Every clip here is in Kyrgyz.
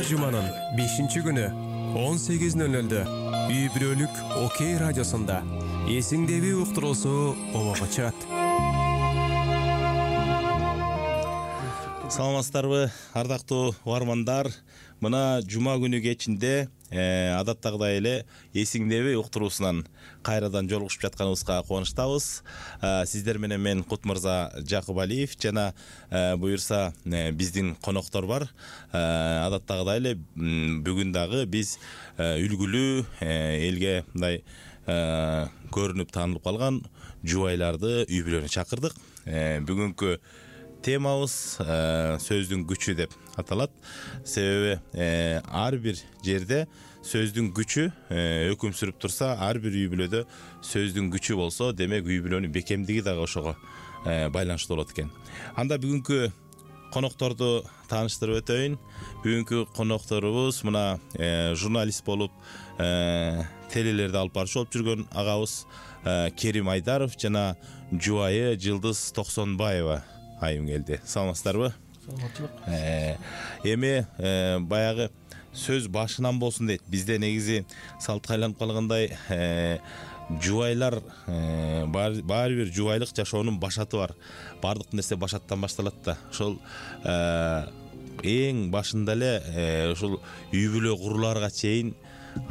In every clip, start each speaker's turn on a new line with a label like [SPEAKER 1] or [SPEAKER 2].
[SPEAKER 1] жуманын 5-күнү 18:00 үй бүлөлүк Окей радиосунда эсиңдеби уктуруусу обого чыгат.
[SPEAKER 2] Саламатсыздарбы, ардактуу угармандар. Мына жума күнү кечинде адаттагыдай эле эсиңдеби уктуруусунан кайрадан жолугушуп жатканыбызга кубанычтабыз. Сиздер менен мен Кутмырза Жакыбалиев жана буюрса биздин коноктор бар. Адаттагыдай эле бүгүн дагы биз үлгүлүү элге мындай көрүнүп таанылып калган жубайларды үй бүлөнү чакырдык. Бүгүнкү темабыз сөздүн күчү деп аталат. Себеби ар бир жерде сөздүн күчү өкүм сүрүп турса, ар бир үй бүлөдө сөздүн күчү болсо, демек үй бүлөнүн бекемдиги дагы ошого байланыштуу болот экен. Анда бүгүнкү конокторду тааныштырып өтөйүн. Бүгүнкү конокторубуз мына журналист болуп телелерди алып барчу болуп жүргөн агабыз Керим Айдаров жана жубайы Жылдыз Токсонбаева айым келди. Саламатсыздарбы?
[SPEAKER 3] Саламаттык.
[SPEAKER 2] Эми баягы сөз башынан болсун дейт. Бизде негизи салтка айланып калгандай жубайлар баары бир жубайлык жашоонун башаты бар. Бардык нерсе башаттан башталат да. Ошол эң башында эле ушул үй бүлө куруларга чейин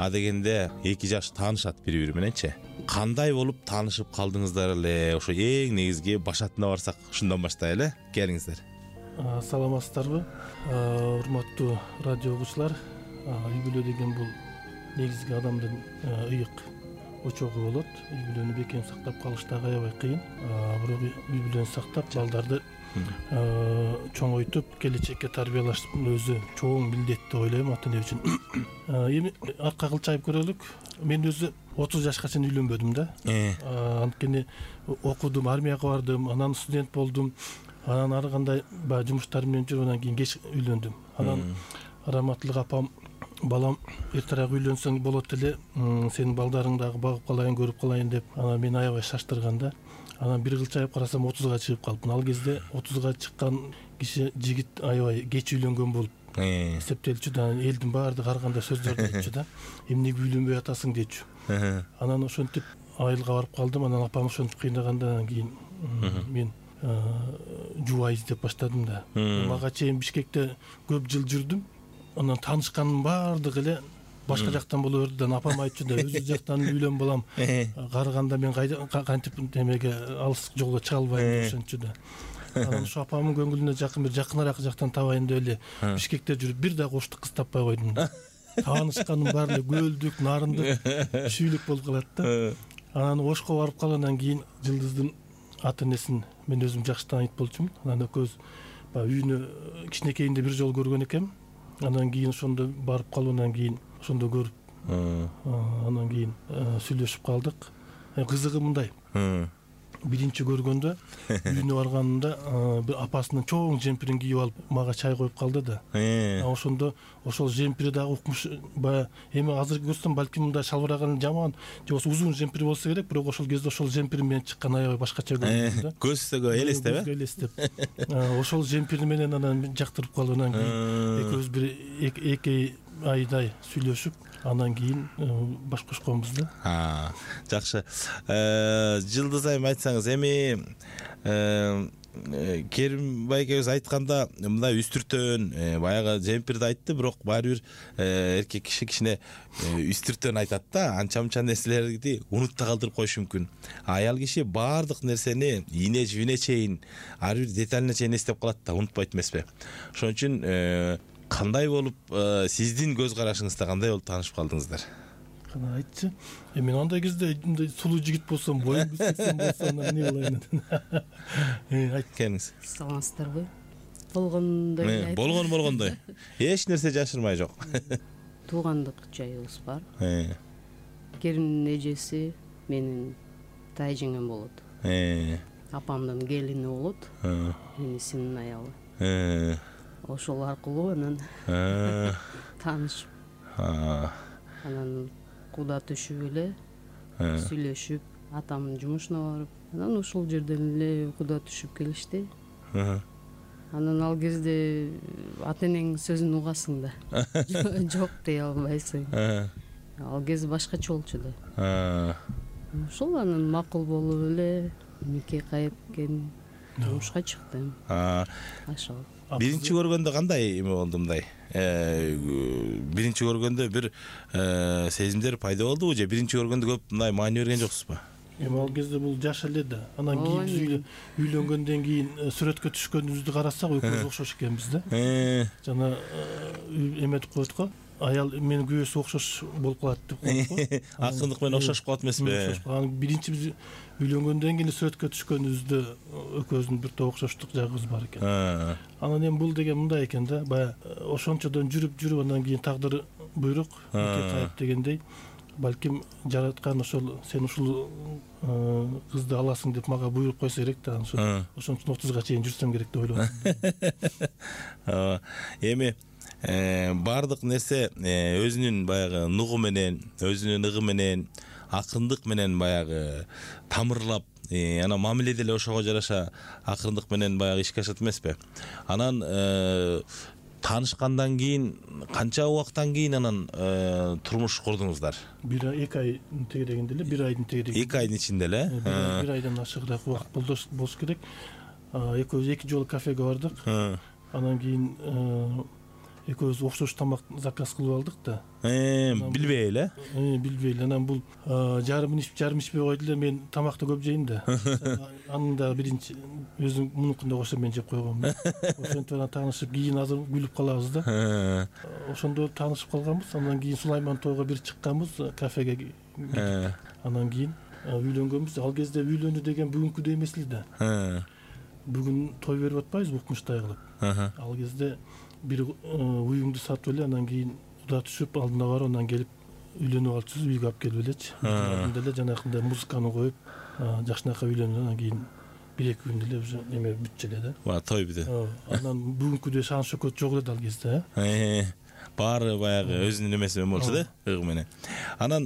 [SPEAKER 2] адегенде эки жаш таанышат бири-бири мененчи. Кандай болуп таанышып калдыңыздар эле? Ошо эң негизги башатына барсак, ушундан баштайлы. Келиңиздер.
[SPEAKER 3] Саламатсыздарбы? Урматтуу радио угуучулар. Үй бүлө деген бул негизги адамдын ыйык очогу болот. Үй бүлөнү бекем сактап калыш дагы аябай кыйын. Бирок үй бүлөнү сактап, балдарды чоңойтуп, келечекке тарбиялаш өзү чоң милдет деп ойлойм ата эне үчүн. Эми арка кылчайып көрөлүк. Мен өзү 30 жашка чейин үйлөнбөдүм да. Анткени окудум, армияга бардым, анан студент болдум. Анан ар кандай баягы жумуштар менен жүрүп, анан кийин кеч үйлөндүм. Анан раматтылык апам, балам эртерээк үйлөнсөң болот эле, сенин балдарың дагы багып калайын, көрүп калайын деп, анан мени аябай шаштырган да. Анан бир кылчайып карасам 30га чыгып калыпмын. Ал кезде 30га чыккан киши, жигит аябай кеч үйлөнгөн болуп эсептелчү да. Элдин баардыгы ар кандай сөздөрдү айтчу да. Эмнеге үйлөнбөй атасың дечү. Анан ошентип айылга барып калдым. Анан апам ошентип кыйнагандан кийин мен жубай издеп баштадым да. Мага чейин Бишкекте көп жыл жүрдүм. Анан таанышкандын баардыгы эле башка жактан боло берди да. Апам айтчу да, өзү жактан үйлөн балам. Карыганда мен кантип демеге алыс жолго чыга албайм деп ошентчу да. Анан ошо апамдын көңүлүнө жакын бир жакыныраак жактан табайын деп эле Бишкекте жүрүп бир да коштук кыз таппай койдум да. Таанышканым баары эле Көлдүк, Нарындык, Шүйлүк болуп калат да. Анан Ошко барып калгандан кийин Жылдыздын ата энесин мен өзүм жакшы таанıyт болчумун. Анан экөөбүз баягы үйүнө кичинекейинде бир жолу көргөн экем. Андан кийин ошондо барып калгандан кийин ошондо көрүп, андан кийин сүйлөшүп калдык. Кызыгы мындай. Биринчи көргөндө үйүнө барганымда бир апасынын чоң жемпирин кийип алып мага чай коюп калды да. Ошондо ошол жемпири дагы укмуш, баягы эми азыр көрсөм балким мындай шалбыраган жаман, же болбосо узун жемпир болсо керек, бирок ошол кезде ошол жемпир менен чыккан аябай башкача көрүндү да.
[SPEAKER 2] Көзгө элестеп,
[SPEAKER 3] элестеп. Ошол жемпири менен анан жактырып калгандан кийин экөөбүз бир 2 айдай сүйлөшүп, андан кийин баш кошконбуз да.
[SPEAKER 2] Жакшы. Жылдыз айым, айтсаңыз, эми Керим байкебиз айтканда мындай үстүртөн баягы жемпирди айтты, бирок баары бир эркек киши кичине үстүртөн айтат да. Анча-мынча нерселерди унутта калтырып коюшу мүмкүн. Аял киши баардык нерсени ийне жибине чейин, ар бир деталине чейин эстеп калат да, унутпайт эмеспи? Ошон үчүн кандай болуп, сиздин көз карашыңызда кандай болуп таанышып калдыңыздар?
[SPEAKER 3] Кана айтчы. Мен андай кезде сулуу жигит болсом, боюм бүсөксөн болсо, эмне болайын? Айт,
[SPEAKER 2] келиңиз.
[SPEAKER 4] Саламатсыздарбы? Болгондой.
[SPEAKER 2] Болгондой. Эч нерсе жашырмай жок.
[SPEAKER 4] Туугандык жайыбыз бар. Керимдин эжеси менин тайжеңем болот. Апамдын келини болот. Энисинин аялы. Ошол аркылуу анан таанышып, анан куда түшүп эле сүйлөшүп, атамдын жумушуна барып, анан ушул жерден эле куда түшүп келишти. Анан ал кезде ата энеңдин сөзүн угасың да. Жок дей албайсың. Ал кез башкача болчу да. Ошол анан макул болуп эле нике кайып келген турмушка чыктым. Ошол.
[SPEAKER 2] Биринчи көргөндө кандай эме болду мындай? Биринчи көргөндө бир сезимдер пайда болдубу же биринчи көргөндө көп мындай маани берген жоксузбу?
[SPEAKER 3] Эми ал кезде бул жаш эле да. Анан кийин биз үйлөнгөндөн кийин сүрөткө түшкөнүбүздү карасак экөөбүз окшош экенбиз да. Жана эметип коет го. Аял менин күйөөсү окшош болуп калат деп коет го.
[SPEAKER 2] Акындык менен окшошуп калат эмеспи?
[SPEAKER 3] Анан биринчи биз үйлөнгөндөн кийин сүрөткө түшкөнүбүздө экөөбүздүн бир топ окшоштук жагыбыз бар экен. Анан эми бул деген мындай экен да. Баягы ошончодон жүрүп анан кийин тагдыр буйрук нике кайып дегендей. Балким жараткан ошол сен ушул кызды аласың деп мага буйрук койсо керек да. Ошон үчүн 30га чейин жүрсөм керек деп ойлоп атам.
[SPEAKER 2] Эми баардык нерсе өзүнүн баягы нугу менен, өзүнүн ыгы менен, акындык менен баягы тамырлап, анан мамиле деле ошого жараша акындык менен баягы ишке ашат эмеспи? Анан таанышкандан кийин канча убакыттан кийин анан турмуш курдуңуздар?
[SPEAKER 3] 2 ай тегерегинде эле, 1 айдын тегерегинде.
[SPEAKER 2] 2 айдын ичинде эле?
[SPEAKER 3] 1 айдан ашыгыраак убакыт болуш керек. Экөөбүз 2 жолу кафеге бардык. Анан кийин экөөбүз окшош тамак заказ кылып алдык да.
[SPEAKER 2] Билбей эле?
[SPEAKER 3] Билбей эле. Анан бул жарым ичпей койду эле. Мен тамакты көп жейм да. Анын да биринчи өзүм мунукунда кошо мен жеп койгом. Ошентип анан таанышып кийин азыр күлүп калабыз да. Ошондо таанышып калганбыз. Андан кийин Сулайман тойго бир чыкканбыз кафеге. Анан кийин үйлөнгөнбүз. Ал кезде үйлөнүү деген бүгүнкүдөй эмес эле да. Бүгүн той берип атпайбызбы укмуштай кылып. Ал кезде бир уюңду сатып эле анан кийин куда түшүп алдына барып анан келип үйлөнүп алчубуз, үйгө алып келип элечи. Алдында эле жанакындай музыканы коюп жакшынакай үйлөнүп анан кийин 1-2 күндө эле уже эме бүтчү эле да.
[SPEAKER 2] Той бүтү.
[SPEAKER 3] Анан бүгүнкүдөй шаан шөкөт жок эле ал кезде.
[SPEAKER 2] Баары баягы өзүнүн эмеси менен болчу да, ыгы менен. Анан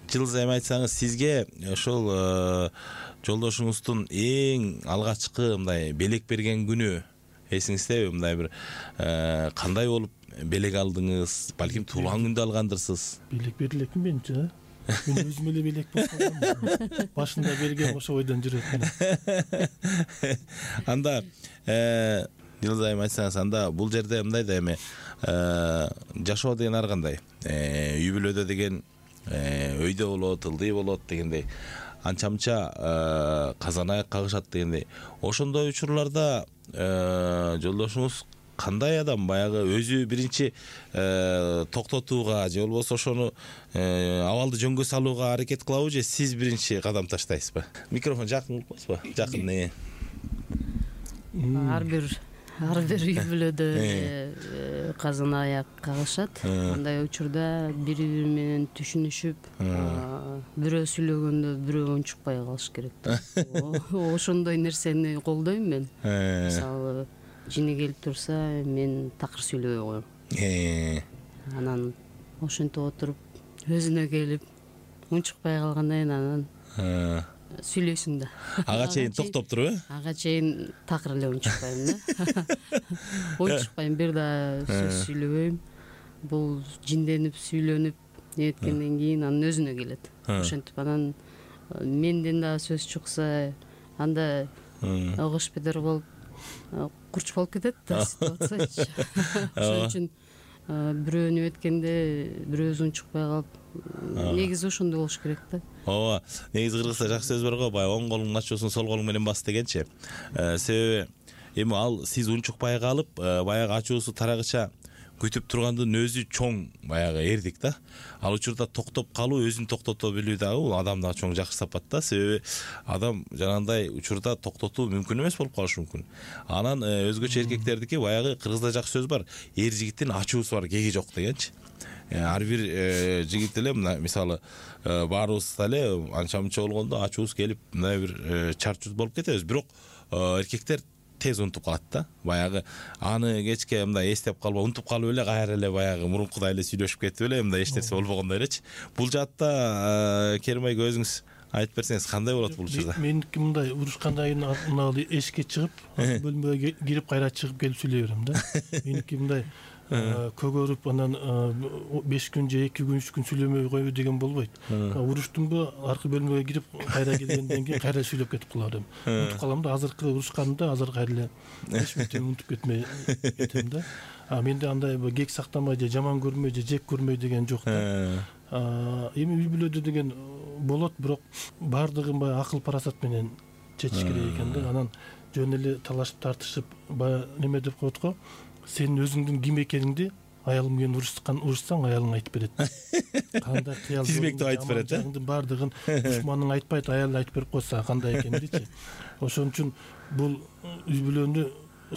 [SPEAKER 2] жылдыз эми айтсаңыз, сизге ошол жолдошуңуздун эң алгачкы мындай белек берген күнү эсиңиздеби? Мындай бир кандай болуп белек алдыңыз? Балким туулган күндө алгандырсыз? Белек
[SPEAKER 3] берилекми менчи? Мен өзүм эле белек болуп калгам. Башында берген ошо ойдон жүрөт.
[SPEAKER 2] Анда Жылдыз айым айтсаңыз, анда бул жерде мындай да эми жашоо деген ар кандай? Үй бүлөдө деген өйдө болот, ылдый болот дегендей. Анча-мынча казан аяк кагышат дегендей. Ошондой учурларда жолдошуңуз кандай адам? Баягы өзү биринчи токтотууга же болбосо ошону абалды жөнгө салууга аракет кылабы же сиз биринчи кадам таштайсызбы? Микрофон жакын кылыңызбы? Жакын.
[SPEAKER 4] Ар бир үй бүлөдө казан аяк кагышат. Андай учурда бири-бири менен түшүнүшүп, бирөө сүйлөгөндө бирөө унчукпай калыш керек да. Ошондой нерсени колдойм мен. Мисалы, жини келип турса, мен такыр сүйлөбөй коем. Анан ошентип отуруп, өзүнө келип, унчукпай калгандан кийин анан сүйлөйсүң да.
[SPEAKER 2] Ага чейин токтоп туруп,
[SPEAKER 4] Ага чейин такыр эле унчукпайм да. Унчукпайм, бир да сөз сүйлөбөйм. Бул жинденип, сүйлөнүп, эметкенден кийин анын өзүнө келет. Ошентип анан менден да сөз чыкса, анда ыгыш бедер болуп, курч болуп кетет да ситуация. Ошон үчүн бирөөнү эметкенде бирөөбүз унчукпай калып, негизи ошондой болуш керек да.
[SPEAKER 2] Ооба, негизи кыргызча жакшы сөз бар го, баягы оң колуңдун ачуусун сол колуң менен бас дегенчи. Себеби эми ал сиз унчукпай калып, баягы ачуусу тарагыча күтүп тургандын өзү чоң баягы эрдик да. Ал учурда токтоп калуу, өзүн токтото билүү дагы бул адамда чоң жакшы сапат да. Себеби адам жанагындай учурда токтотуу мүмкүн эмес болуп калышы мүмкүн. Анан өзгөчө эркектердики баягы кыргызда жакшы сөз бар, эр жигиттин ачуусу бар, кеги жок дегенчи. Ар бир жигит эле мисалы баарыбызда эле анча-мынча болгондо ачуубуз келип мындай бир чарчуз болуп кетебиз. Бирок эркектер тез унутуп калат да. Баягы аны кечке мындай эстеп калбай, унутуп калып эле кайра эле баягы мурункудай эле сүйлөшүп кетип эле мындай эч нерсе болбогондой элечи. Бул жаатта Керим айга өзүңүз айтып берсеңиз кандай болот бул учурда?
[SPEAKER 3] Меники мындай, урушкандан кийин мына эшикке чыгып, бөлмөгө кирип кайра чыгып келип сүйлөй берем да. Меники мындай көгөрүп анан 5 күн же 2 күн 3 күн сүйлөмөй койбой деген болбойт. Уруштумбу, аркы бөлмөгө кирип кайра келгенден кийин кайра сүйлөп кетип калам. Унутуп калам да, азыркы урушканымда азыр кайра эч нерсени унутуп кетмей кетем да. Менде андай кек сактамай же жаман көрмөй же жек көрмөй деген жок да. Эми үй бүлөдө деген болот, бирок баардыгын баягы акыл парасат менен чечиш керек экен да. Анан жөн эле талашып тартышып баягы неме деп коет го, сенин өзүңдүн ким экениңди аялың менен урушсаң аялың айтып берет. Кандай кыял
[SPEAKER 2] тизмектеп айтып берет да.
[SPEAKER 3] Баардыгын душманың айтпайт, аял айтып берип койса кандай экендичи. Ошон үчүн бул үй бүлөнү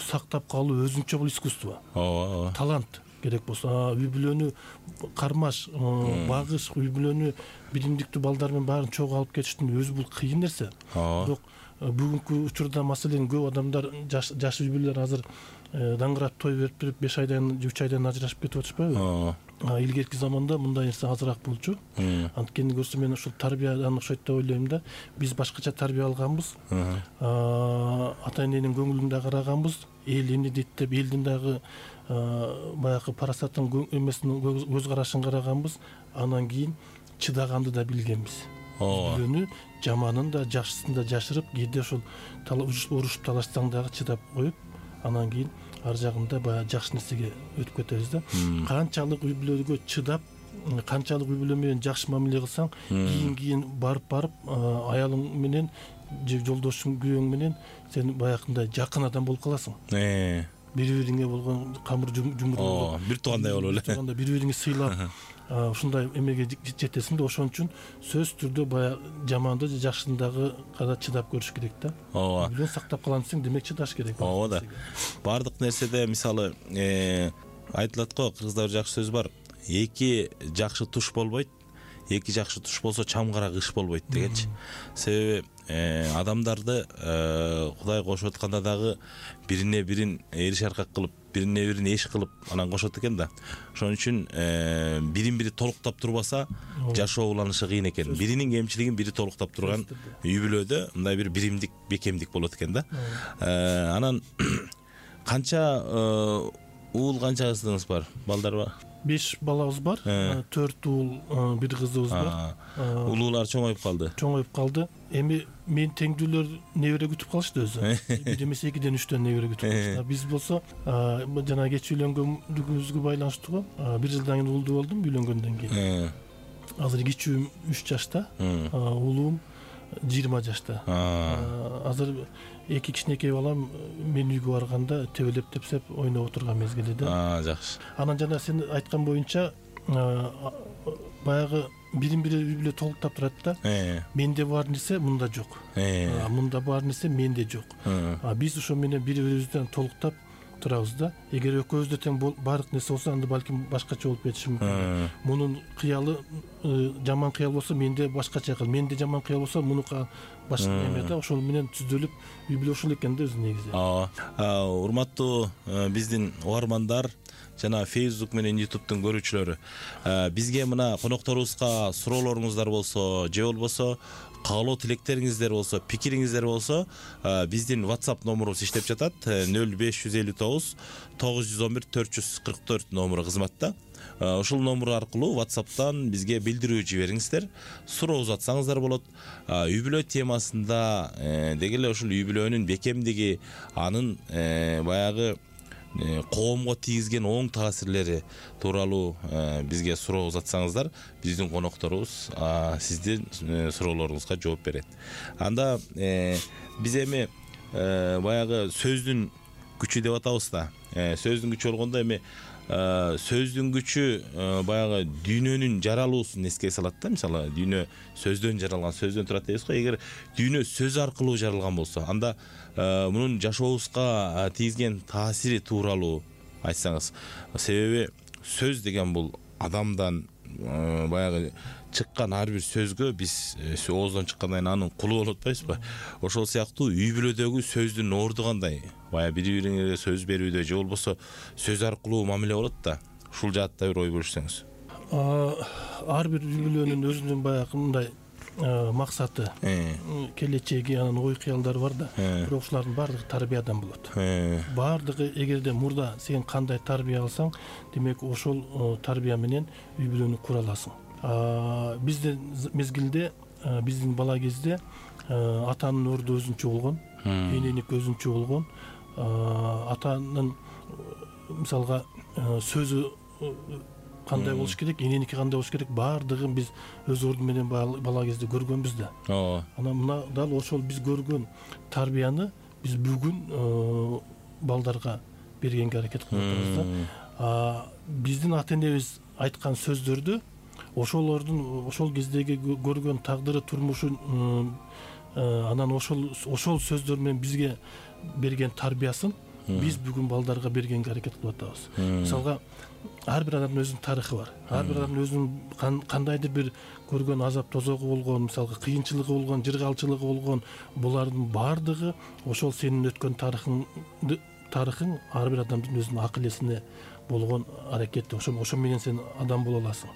[SPEAKER 3] сактап калуу өзүнчө бул искусство. Талант керек болсо, үй бүлөнү кармаш, багыш, үй бүлөнү билимдиктүү балдар менен баарын чогуу алып кетиштин өзү бул кыйын нерсе. Бирок бүгүнкү учурда маселен көп адамдар, жаш үй бүлөлөр азыр даңгырап той берип туруп 5 айдан 3 айдан ажырашып кетип атышпайбы? Илгерки заманда мындай нерсе азыраак болчу. Анткени көрсө мен ушул тарбиядан окшойт деп ойлойм да. Биз башкача тарбия алганбыз. Ата эненин көңүлүн да караганбыз. Эл эмне дейт деп элдин дагы баягы парасатын эмесин көз карашын караганбыз. Анан кийин чыдаганды да билгенбиз. Бүлөнү жаманын да жакшысын да жашырып, кээде ошол урушуп талашсаң дагы чыдап коюп, анан кийин ар жагында баягы жакшы нерсеге өтүп кетебиз да. Канчалык үй бүлөгө чыдап, канчалык үй бүлө менен жакшы мамиле кылсаң, кийин барып аялың менен же жолдошуң, күйөөң менен сен баягындай жакын адам болуп каласың. Бири-бириңе болгон камыр жумур
[SPEAKER 2] бир туугандай болуп эле.
[SPEAKER 3] Бири-бириңи сыйлап, ушундай эмеге жетесиң да. Ошон үчүн сөзсүз түрдө баягы жаманды же жакшыны дагы кара чыдап көрүш керек да. Бүлөнү сактап калам десең, демек чыдаш керек.
[SPEAKER 2] Ооба да. Бардык нерседе мисалы айтылат го, кыргызда бир жакшы сөз бар. Эки жакшы туш болбойт, эки жакшы туш болсо чамгара кыш болбойт дегенчи. Себеби адамдарды Кудай кошуп атканда дагы бирине бирин эриш аркак кылып, бирине бирин эш кылып анан кошот экен да. Ошон үчүн бирин бири толуктап турбаса жашоо уланышы кыйын экен. Биринин кемчилигин бири толуктап турган үй бүлөдө мындай бир биримдик, бекемдик болот экен да. Анан канча уул, канча кызыңыз бар? Балдар бар?
[SPEAKER 3] 5 балабыз бар. 4 уул, 1 кызыбыз бар.
[SPEAKER 2] Улуулар чоңоюп калды.
[SPEAKER 3] Чоңоюп калды. Эми мен теңдүүлөр небере күтүп калышты өзү. Бир эмес 2ден 3төн небере күтүп калышты. Биз болсо жана кеч үйлөнгөнүбүзгө байланыштуу го. 1 жылдан кийин уулдуу болдум үйлөнгөндөн кийин. Азыр кичүүм 3 жашта, уулум 20 жашта. Азыр 2 кичинекей балам мен үйгө барганда тебелеп тепсеп ойноп отурган мезгили да.
[SPEAKER 2] Жакшы.
[SPEAKER 3] Анан жана сен айткан боюнча баягы бирин-бири үй бүлө толуктап турат да. Менде бар нерсе мында жок. Мында бар нерсе менде жок. Биз ошо менен бири-бирибизден толуктап турабыз да. Эгер экөөбүздө тең бардык нерсе болсо, анда балким башкача болуп кетиши мүмкүн. Мунун кыялы жаман кыял болсо, менде башкача кыл. Менде жаман кыял болсо, мунука башка эме да. Ошол менен түздөлүп үй бүлө ушул экен да өзү негизи.
[SPEAKER 2] Урматтуу биздин угармандар жана Facebook менен YouTube'дун көрүүчүлөрү, бизге мына конокторубузга суроолоруңуздар болсо, же болбосо каалоо тилектериңиздер болсо, пикириңиздер болсо, биздин WhatsApp номурубуз иштеп жатат. 0559 911 444 номуру кызматта. Ушул номур аркылуу WhatsApp'тан бизге билдирүү жибериңиздер. Суроо узатсаңыздар болот. Үй бүлө темасында деги эле ушул үй бүлөнүн бекемдиги, анын баягы коомго тийгизген оң таасирлери тууралуу бизге суроо узатсаңыздар, биздин конокторубуз сиздин суроолоруңузга жооп берет. Анда биз эми баягы сөздүн күчү деп атабыз да. Сөздүн күчү болгондо эми сөздүн күчү баягы дүйнөнүн жаралуусун эске салат да. Мисалы, дүйнө сөздөн жаралган, сөздөн турат дейбиз го. Эгер дүйнө сөз аркылуу жаралган болсо, анда мунун жашообузга тийгизген таасири тууралуу айтсаңыз. Себеби сөз деген бул адамдан баягы чыккан ар бир сөзгө биз ооздон чыккандан кийин анын кулу болуп атпайбызбы? Ошол сыяктуу үй бүлөдөгү сөздүн орду кандай? Баягы бири-бириңерге сөз берүүдө же болбосо сөз аркылуу мамиле болот да. Ушул жаатта бир ой бөлүшсөңүз.
[SPEAKER 3] Ар бир үй бүлөнүн өзүнүн баягы мындай максаты, келечеги, анан ой кыялдары бар да. Бирок ушулардын баардыгы тарбиядан болот. Баардыгы эгерде мурда сен кандай тарбия алсаң, демек ошол тарбия менен үй бүлөнү кура аласың. Биздин мезгилде, биздин бала кезде атанын орду өзүнчө болгон, эненики өзүнчө болгон. Атанын мисалга сөзү кандай болуш керек, эненики кандай болуш керек, баардыгын биз өз орду менен бала кезде көргөнбүз да. Анан мына дал ошол биз көргөн тарбияны биз бүгүн балдарга бергенге аракет кылып атабыз да. Биздин ата энебиз айткан сөздөрдү ошол кездеги көргөн тагдыры, турмушун, анан ошол сөздөр менен бизге берген тарбиясын биз бүгүн балдарга бергенге аракет кылып атабыз. Мисалга, ар бир адамдын өзүнүн тарыхы бар. Ар бир адамдын өзүнүн кандайдыр бир көргөн азап тозогу болгон, мисалга кыйынчылыгы болгон, жыргалчылыгы болгон, булардын баардыгы ошол сенин өткөн тарыхың ар бир адамдын өзүнүн акыл эсине болгон аракети. Ошо менен сен адам боло аласың.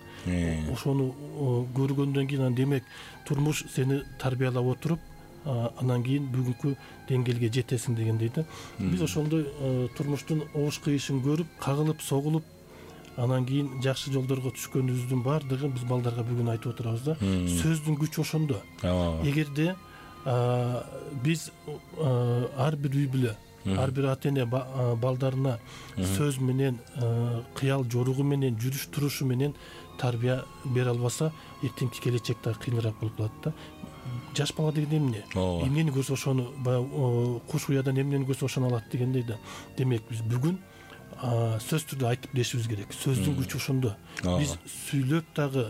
[SPEAKER 3] Ошону көргөндөн кийин, демек турмуш сени тарбиялап отуруп, анан кийин бүгүнкү деңгээлге жетесиң дегендей да. Биз ошондой турмуштун обуш кыйышын көрүп, кагылып, согулуп, анан кийин жакшы жолдорго түшкөнүбүздүн баардыгын биз балдарга бүгүн айтып отурабыз да. Сөздүн күчү ошондо. Эгерде биз ар бир үй бүлө, ар бир ата эне балдарына сөз менен, кыял жоругу менен, жүрүш турушу менен тарбия бере албаса, эртеңки келечек дагы кыйыныраак болуп калат да. Жаш бала деген эмне? Эмнени көрсө ошону, баягы куш уядан эмнени көрсө ошону алат дегендей да. Демек биз бүгүн сөз түрдө айтып дешибиз керек. Сөздүн күчү ошондо. Биз сүйлөп дагы,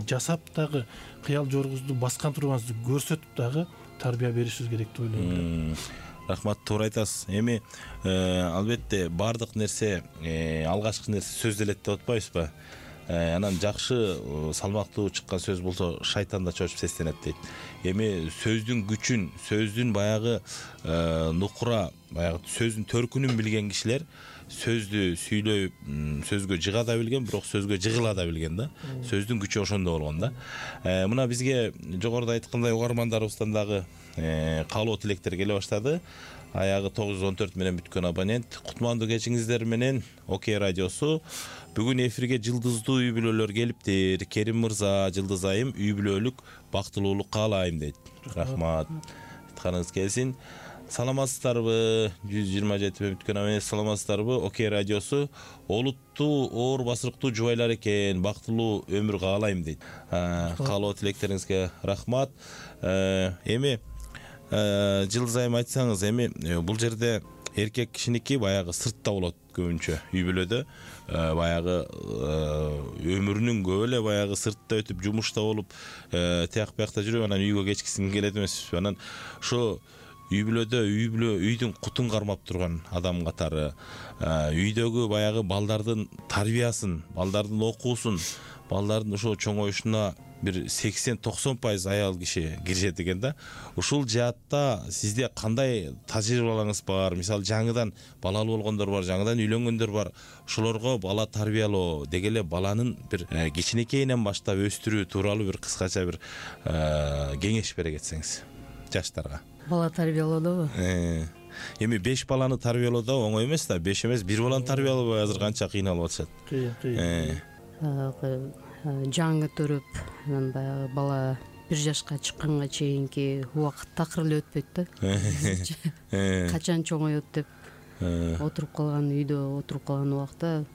[SPEAKER 3] жасап дагы, кыял жорубузду баскан турганыбызды көрсөтүп дагы тарбия беришибиз керек деп ойлойм.
[SPEAKER 2] Рахмат, туура айтасыз. Эми албетте баардык нерсе, алгачкы нерсе сөз делет деп атпайбызбы? Анан жакшы, салмактуу чыккан сөз болсо шайтан да чочуп сестенет дейт. Эми сөздүн күчүн, сөздүн баягы нукура, баягы сөздүн төркүнүн билген кишилер сөздү сүйлөп, сөзгө жыга да билген, бирок сөзгө жыгыла да билген да. Сөздүн күчү ошондо болгон да. Мына бизге жогоруда айткандай угармандарыбыздан дагы каалоо тилектер келе баштады. Аягы 914 менен бүткөн абонент. Кутмандуу кечиңиздер менен Окей радиосу. Бүгүн эфирге жылдыздуу үй бүлөлөр келиптир. Керим мырза, Жылдыз айым, үй бүлөлүк бактылуулук каалайм дейт. Рахмат. Айтканыңыз келсин. Саламатсыздарбы? 127 менен бүткөн абонент, саламатсыздарбы? Окей радиосу олуттуу, оор басырыктуу жубайлар экен. Бактылуу өмүр каалайм дейт. Каалоо тилектериңизге рахмат. Эми Жылдыз айым, айтсаңыз, эми бул жерде эркек кишиники баягы сыртта болот көбүнчө үй бүлөдө. Баягы өмүрүнүн көп эле баягы сыртта өтүп, жумушта болуп, тияк биякта жүрүп, анан үйгө кечкисин келет эмеспизби? Анан ошо үй бүлөдө үйдүн кутун кармап турган адам катары, үйдөгү баягы балдардын тарбиясын, балдардын окуусун, балдардын ошо чоңоюшуна бир 80-90% аял киши киришет экен да. Ушул жаатта сизде кандай тажрыйбаларыңыз бар? Мисалы, жаңыдан балалуу болгондор бар, жаңыдан үйлөнгөндөр бар. Ошолорго бала тарбиялоо, деги эле баланын бир кичинекейинен баштап өстүрүү тууралуу бир кыскача бир кеңеш бере кетсеңиз жаштарга.
[SPEAKER 4] Бала тарбиялоодобу?
[SPEAKER 2] Эми 5 баланы тарбиялоо да оңой эмес да. 5 эмес, 1 баланы тарбиялоо азыр канча кыйналып атышат.
[SPEAKER 4] Жаңы төрөп, анан баягы бала 1 жашка чыкканга чейинки убакыт такыр эле өтпөйт да. Качан чоңоет деп отуруп калган үйдө, отуруп калган убакта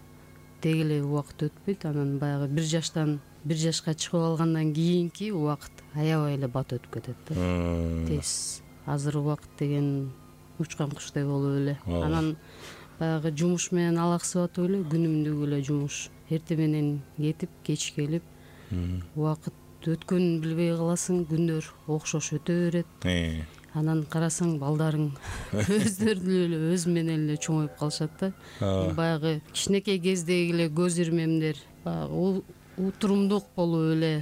[SPEAKER 4] деги эле убакыт өтпөйт. Анан баягы 1 жаштан 1 жашка чыгып алгандан кийинки убакыт аябай эле бат өтүп кетет да. Тез. Азыр убакыт деген учкан куштай болуп эле. Анан баягы жумуш менен алаксып атып эле, күнүмдүк эле жумуш. Эрте менен кетип, кеч келип, убакыт өткөнүн билбей каласың, күндөр окшош өтө берет. Анан карасаң, балдарың өздөрү эле өз менен эле чоңоюп калышат да. Баягы кичинекей кездеги эле көз ирмемдер, баягы утурумдук болуп эле,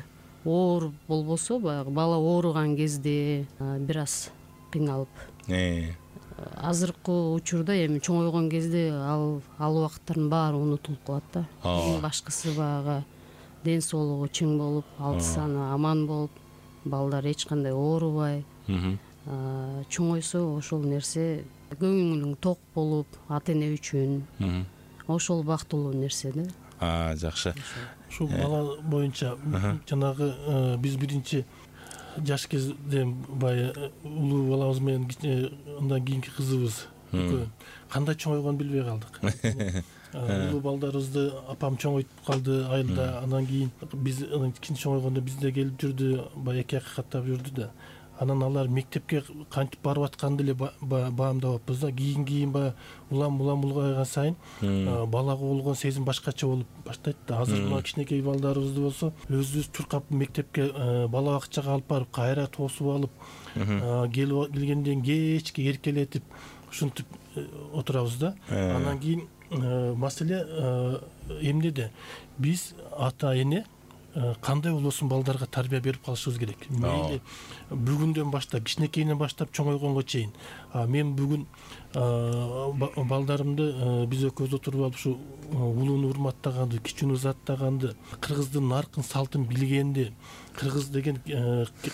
[SPEAKER 4] оор болбосо, баягы бала ооруган кезде бир аз кыйналып. Азыркы учурда эми чоңойгон кезде ал убакыттардын баары унутулуп калат да. Эң башкысы баягы ден соолугу чың болуп, алты саны аман болуп, балдар эч кандай оорубай чоңойсо ошол нерсе көңүлүң ток болуп ата эне үчүн ошол бактылуу нерсе да.
[SPEAKER 2] Жакшы.
[SPEAKER 3] Ушул бала боюнча жанагы биз биринчи жаш кезде баягы улуу балабыз менен андан кийинки кызыбыз кандай чоңойгонун билбей калдык. Улуу балдарыбызды апам чоңойтуп калды айылда. Андан кийин биз кичине чоңойгондо бизде келип жүрдү, баягы 2 каттап жүрдү да. Анан алар мектепке кантип барып атканды эле баамдабаппыз да. Кийин баягы улам улгайган сайын балага болгон сезим башкача болуп баштайт да. Азыр мына кичинекей балдарыбызды болсо өзүбүз чуркап мектепке бала бакчага алып барып, кайра тосуп алып, келгенден кечке эркелетип ушинтип отурабыз да. Андан кийин маселе эмнеде? Биз ата эне кандай болбосун балдарга тарбия берип калышыбыз керек. Мейли бүгүндөн баштап, кичинекейинен баштап чоңойгонго чейин. Мен бүгүн балдарымды биз экөөбүз отуруп алып ушу улууну урматтаганды, кичүүнү узаттаганды, кыргыздын наркын салтын билгенди, кыргыз деген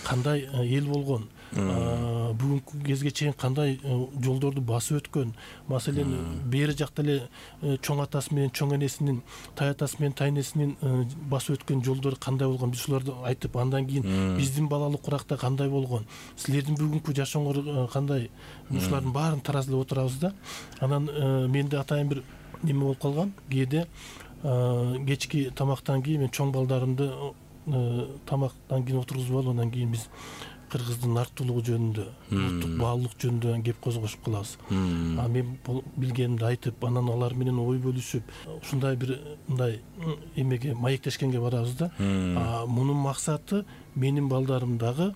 [SPEAKER 3] кандай эл болгон, бүгүнкү кезге чейин кандай жолдорду басып өткөн, маселен бери жакта эле чоң атасы менен чоң энесинин, тай атасы менен тай энесинин басып өткөн жолдору кандай болгон, биз ушуларды айтып, андан кийин биздин балалык уракта кандай болгон, силердин бүгүнкү жашооңор кандай, ушулардын баарын таразылап отурабыз да. Анан менде атайын бир неме болуп калган, кээде кечки тамактан кийин мен чоң балдарымды тамактан кийин отургузуп алып, андан кийин биз кыргыздын нарктуулугу жөнүндө, улуттук баалуулук жөнүндө кеп козгошуп калабыз. Мен билгенимди айтып, анан алар менен ой бөлүшүп, ушундай бир мындай эмеге маектешкенге барабыз да. Мунун максаты менин балдарым дагы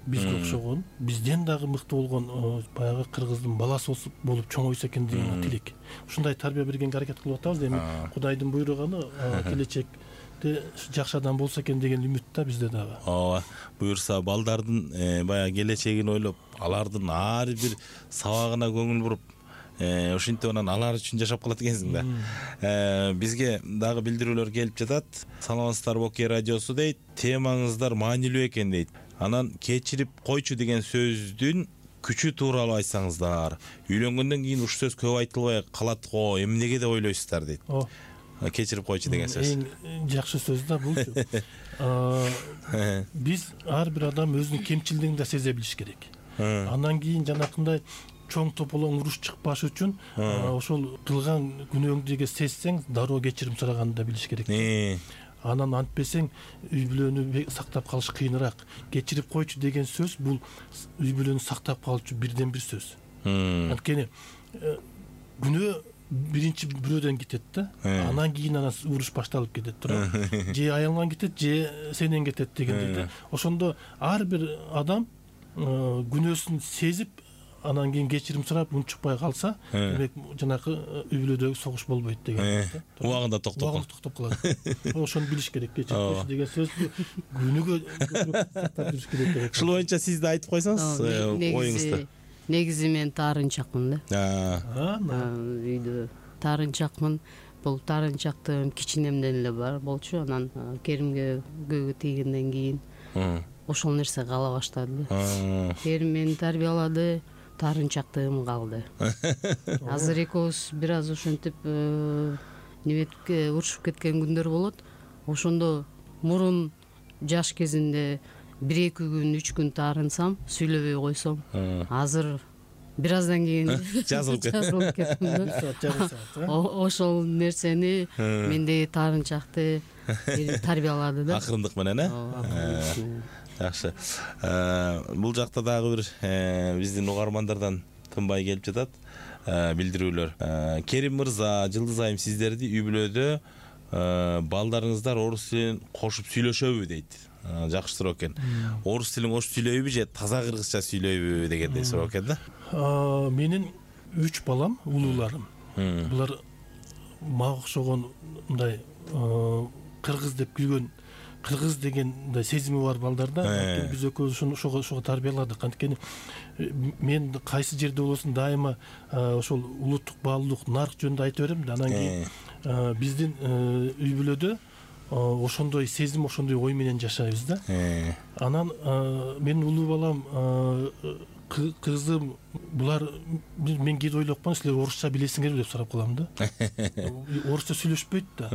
[SPEAKER 3] бизге окшогон, бизден дагы мыкты болгон баягы кыргыздын баласы болуп чоңойсо экен деген тилек. Ушундай тарбия бергенге аракет кылып атабыз. Эми Кудайдын буйруганы келечекте жакшы адам болсо экен деген үмүт да бизде дагы.
[SPEAKER 2] Ооба, буюрса балдардын баягы келечегин ойлоп, алардын ар бир сабагына көңүл буруп, ошентип анан алар үчүн жашап калат экенсиң да. Бизге дагы билдирүүлөр келип жатат. Саламатсыздарбы, Окей радиосу дейт. Темаңыздар маанилүү экен дейт. Анан кечирип койчу деген сөздүн күчү тууралуу айтсаңыздар. Үйлөнгөндөн кийин ушул сөз көп айтылбай калат го, эмнеге деп ойлойсуздар дейт. Кечирип койчу деген сөз.
[SPEAKER 3] Эң жакшы сөз да булчу. Биз ар бир адам өзүнүн кемчилигин да сезе билиш керек. Андан кийин жанакындай чоң тополоң уруш чыкпаш үчүн ошол кылган күнөөңдү сезсең, дароо кечирим сураганды да билиш керек. Анан антпесең үй бүлөнү сактап калыш кыйыныраак. Кечирип койчу деген сөз бул үй бүлөнү сактап калуучу бирден бир сөз. Анткени күнөө биринчи бирөөдөн кетет да. Анан кийин уруш башталып кетет, туура. Же аялыңан кетет, же сенен кетет дегендей да. Ошондо ар бир адам күнөөсүн сезип, анан кийин кечирим сурап унчукпай калса, демек жанакы үй бүлөдөгү согуш болбойт деген.
[SPEAKER 2] Убагында токтоп
[SPEAKER 3] калат. Ошону билиш керек. Кечирип деген сөздү күнүгө сактап жүрүш керек.
[SPEAKER 2] Ушул боюнча сиз да айтып койсоңуз оюңузду.
[SPEAKER 4] Негизи мен таарынчакмын да. Үйдө таарынчакмын. Бул таарынчактыгым кичинемден эле бар болчу. Анан Керимге көйгөй тийгенден кийин ошол нерсе кала баштады. Керим мени тарбиялады, таарынчактыгым калды. Азыр экөөбүз бир аз ошентип неметип урушуп кеткен күндөр болот. Ошондо мурун жаш кезинде 1-2 күн, 3 күн таарынсам, сүйлөбөй койсом, азыр бир аздан кийин жазылып кеттим. Ошол нерсени мендеги таарынчакты тарбиялады да.
[SPEAKER 2] Акырындык менен, жакшы. Бул жакта дагы бир биздин угармандардан тынбай келип жатат билдирүүлөр. Керим мырза, Жылдыз айым, сиздерди үй бүлөдө балдарыңыздар орус тилин кошуп сүйлөшөбү дейт. Жакшы суроо экен. Орус тилин кошуп сүйлөйбү же таза кыргызча сүйлөйбү дегендей суроо экен да.
[SPEAKER 3] Менин 3 балам, улууларым. Булар мага окшогон мындай кыргыз деп күлгөн, кыргыз деген мындай сезими бар балдар да. Биз экөөбүз ошого тарбияладык. Анткени мен кайсы жерде болосун дайыма ошол улуттук баалуулук, нарк жөнүндө айта берем да. Анан кийин биздин үй бүлөдө ошондой сезим, ошондой ой менен жашайбыз да. Анан менин улуу балам, кызым, булар мен кээде ойлоп калам, силер орусча билесиңерби деп сурап калам да. Орусча сүйлөшпөйт да.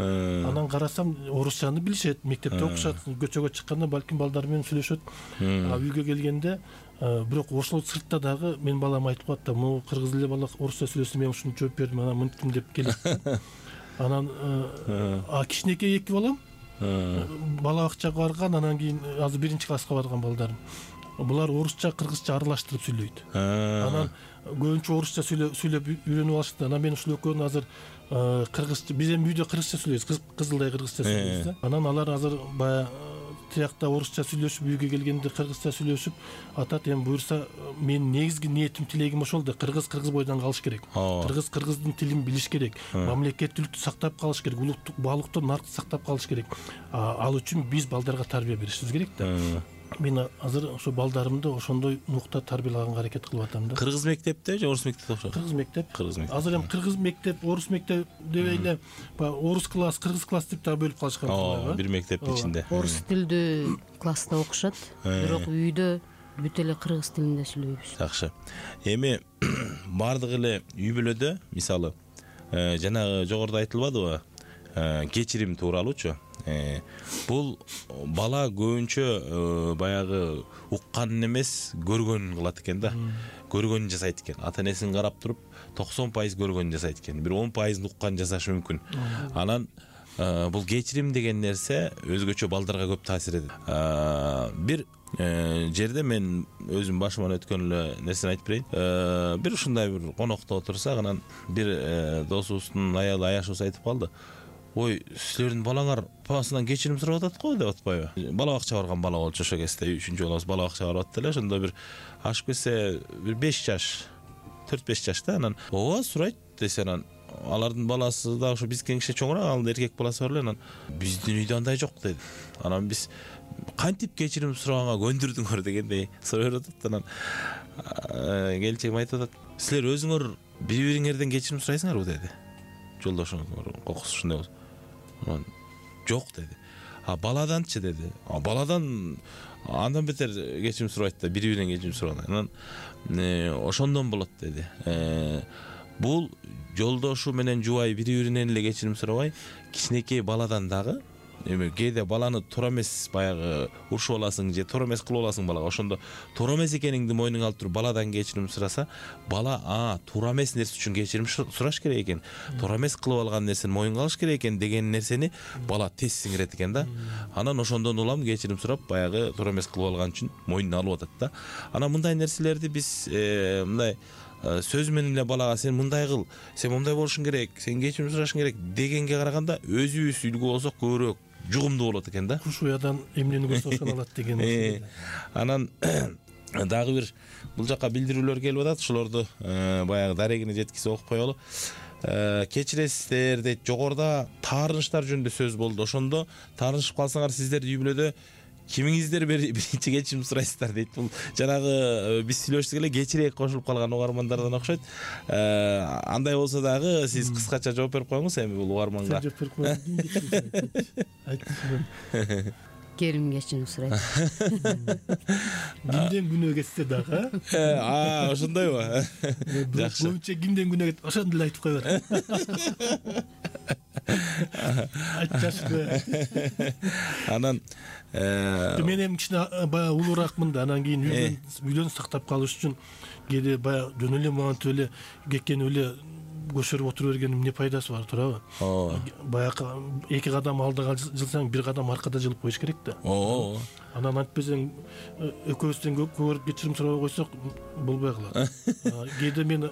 [SPEAKER 3] Анан карасам орусчаны билишет, мектепте окушат, көчөгө чыкканда балким балдар менен сүйлөшөт. Үйгө келгенде бирок ошол сыртта дагы менин балам айтып калат да, могу кыргыз эле бала орусча сүйлөсө мен ушуну жооп бердим, анан мынтим деп келет. Анан кичинекей эки балам бала бакчага барган, анан кийин азыр 1-класска барган балдарым. Булар орусча, кыргызча аралаштырып сүйлөйт. Анан көбүнчө орусча сүйлөп үйрөнүп алышты. Анан мен ушул экөөнү азыр кыргызча, биз эми үйдө кыргызча сүйлөйбүз, кызылдай кыргызча сүйлөйбүз да. Анан алар азыр баягы тиякта орусча сүйлөшүп, үйгө келгенде кыргызча сүйлөшүп атат. Эми буюрса, менин негизги ниетим, тилегим ошол да, кыргыз бойдон калыш керек. Кыргыздын тилин билиш керек. Мамлекеттүүлүктү сактап калыш керек. Улуттук баалыктын наркты сактап калыш керек. Ал үчүн биз балдарга тарбия беришибиз керек да. Мен азыр ошо балдарымды ошондой нукта тарбиялаганга аракет кылып атам да.
[SPEAKER 2] Кыргыз мектепте же орус мектепте окушат?
[SPEAKER 3] Кыргыз мектеп. Азыр эми кыргыз мектеп, орус мектеп деп эле орус класс, кыргыз класс деп дагы бөлүп калышкан.
[SPEAKER 2] Бир мектептин ичинде.
[SPEAKER 4] Орус тилдүү класста окушат, бирок үйдө бүт эле кыргыз тилинде сүйлөйбүз.
[SPEAKER 2] Жакшы. Эми бардык эле үй бүлөдө, мисалы, жанагы жогоруда айтылбадыбы? Кечирим тууралуучу. Бул бала көбүнчө баягы укканын эмес, көргөнүн кылат экен да. Көргөнүн жасайт экен. Ата энесин карап туруп 90% көргөнүн жасайт экен. Бир 10% укканын жасашы мүмкүн. Анан бул кечирим деген нерсе өзгөчө балдарга көп таасир этет. Бир жерде мен өзүм башыман өткөн эле нерсени айтып берейин. Бир ушундай бир конокто отурсак, анан бир досубуздун аялы Аяшыбыз айтып калды. Ой, силердин балаңар папасынан кечирим сурап атат го деп атпайбы? Бала бакчага барган бала болчу ошо кезде, 3-чү балабыз бала бакчага барып атты эле. Ошондо бир ашып кетсе бир 5 жаш, 4-5 жашта. Анан ооба сурайт десе, анан алардын баласы да ошо бизден кичине чоңураак, ал эркек баласы бар эле. Анан биздин үйдө андай жок деди. Анан биз кантип кечирим сураганга көндүрдүңөр дегендей сурап атат. Анан келинчегим айтып атат, силер өзүңөр бири-бириңерден кечирим сурайсыңарбы деди. Жолдошуңуз кокусу ушундай болсо. Анан жок деди. Баладанчы деди. Баладан андан бетер кечирим сурайт да, бири-биринен кечирим сураган. Анан ошондон болот деди. Бул жолдошу менен жубай бири-биринен эле кечирим сурабай, кичинекей баладан дагы эми кээде баланы туура эмес баягы урушуп аласың же туура эмес кылып аласың балага. Ошондо туура эмес экениңди мойнуңа алып туруп баладан кечирим сураса, бала туура эмес нерсе үчүн кечирим сураш керек экен. Туура эмес кылып алган нерсени мойнуңа алыш керек экен деген нерсени бала тез сиңирет экен да. Анан ошондон улам кечирим сурап, баягы туура эмес кылып алган үчүн мойнуна алып атат да. Анан мындай нерселерди биз мындай сөз менен эле балага сен мындай кыл, сен мындай болушуң керек, сен кечирим сурашың керек дегенге караганда өзүбүз үлгү болсок көбүрөөк жугумдуу болот экен да.
[SPEAKER 3] Куш уядан эмнени көрсө ошону алат деген.
[SPEAKER 2] Анан дагы бир бул жака билдирүүлөр келип атат. Ошолорду баягы дарегине жеткизе окуп коелу. Кечиресиздер дейт. Жогоруда таарынычтар жөнүндө сөз болду. Ошондо таарынышып калсаңар сиздер үй бүлөдө кимиңиздер биринчи кечирим сурайсыздар дейт. Бул жанагы биз сүйлөштүк эле кечирээк кошулуп калган угармандардан окшойт. Андай болсо дагы сиз кыскача жооп берип коюңуз эми бул угарманга.
[SPEAKER 3] Жооп берип коюңуз. Айтыңыз.
[SPEAKER 4] Керим кечирим сурайт.
[SPEAKER 3] Кимден күнөө кетсе дагы.
[SPEAKER 2] Ошондойбу?
[SPEAKER 3] Жакшы. Көбүнчө кимден күнөө кетет, ошондо эле айтып коебер. Айтчашпы.
[SPEAKER 2] Анан
[SPEAKER 3] мен эми кичине баягы улураакмын да, анан кийин үйдөн сактап калыш үчүн кээде баягы жөн эле монтип эле кекенип эле көшөрүп отура бергенин эмне пайдасы бар, туурабы? Баягы 2 кадам алдыга жылсаң, 1 кадам аркада жылып коюш керек да. Анан антпесең экөөбүздөн көрүп кечирим сурабай койсок болбой калат. Кээде мен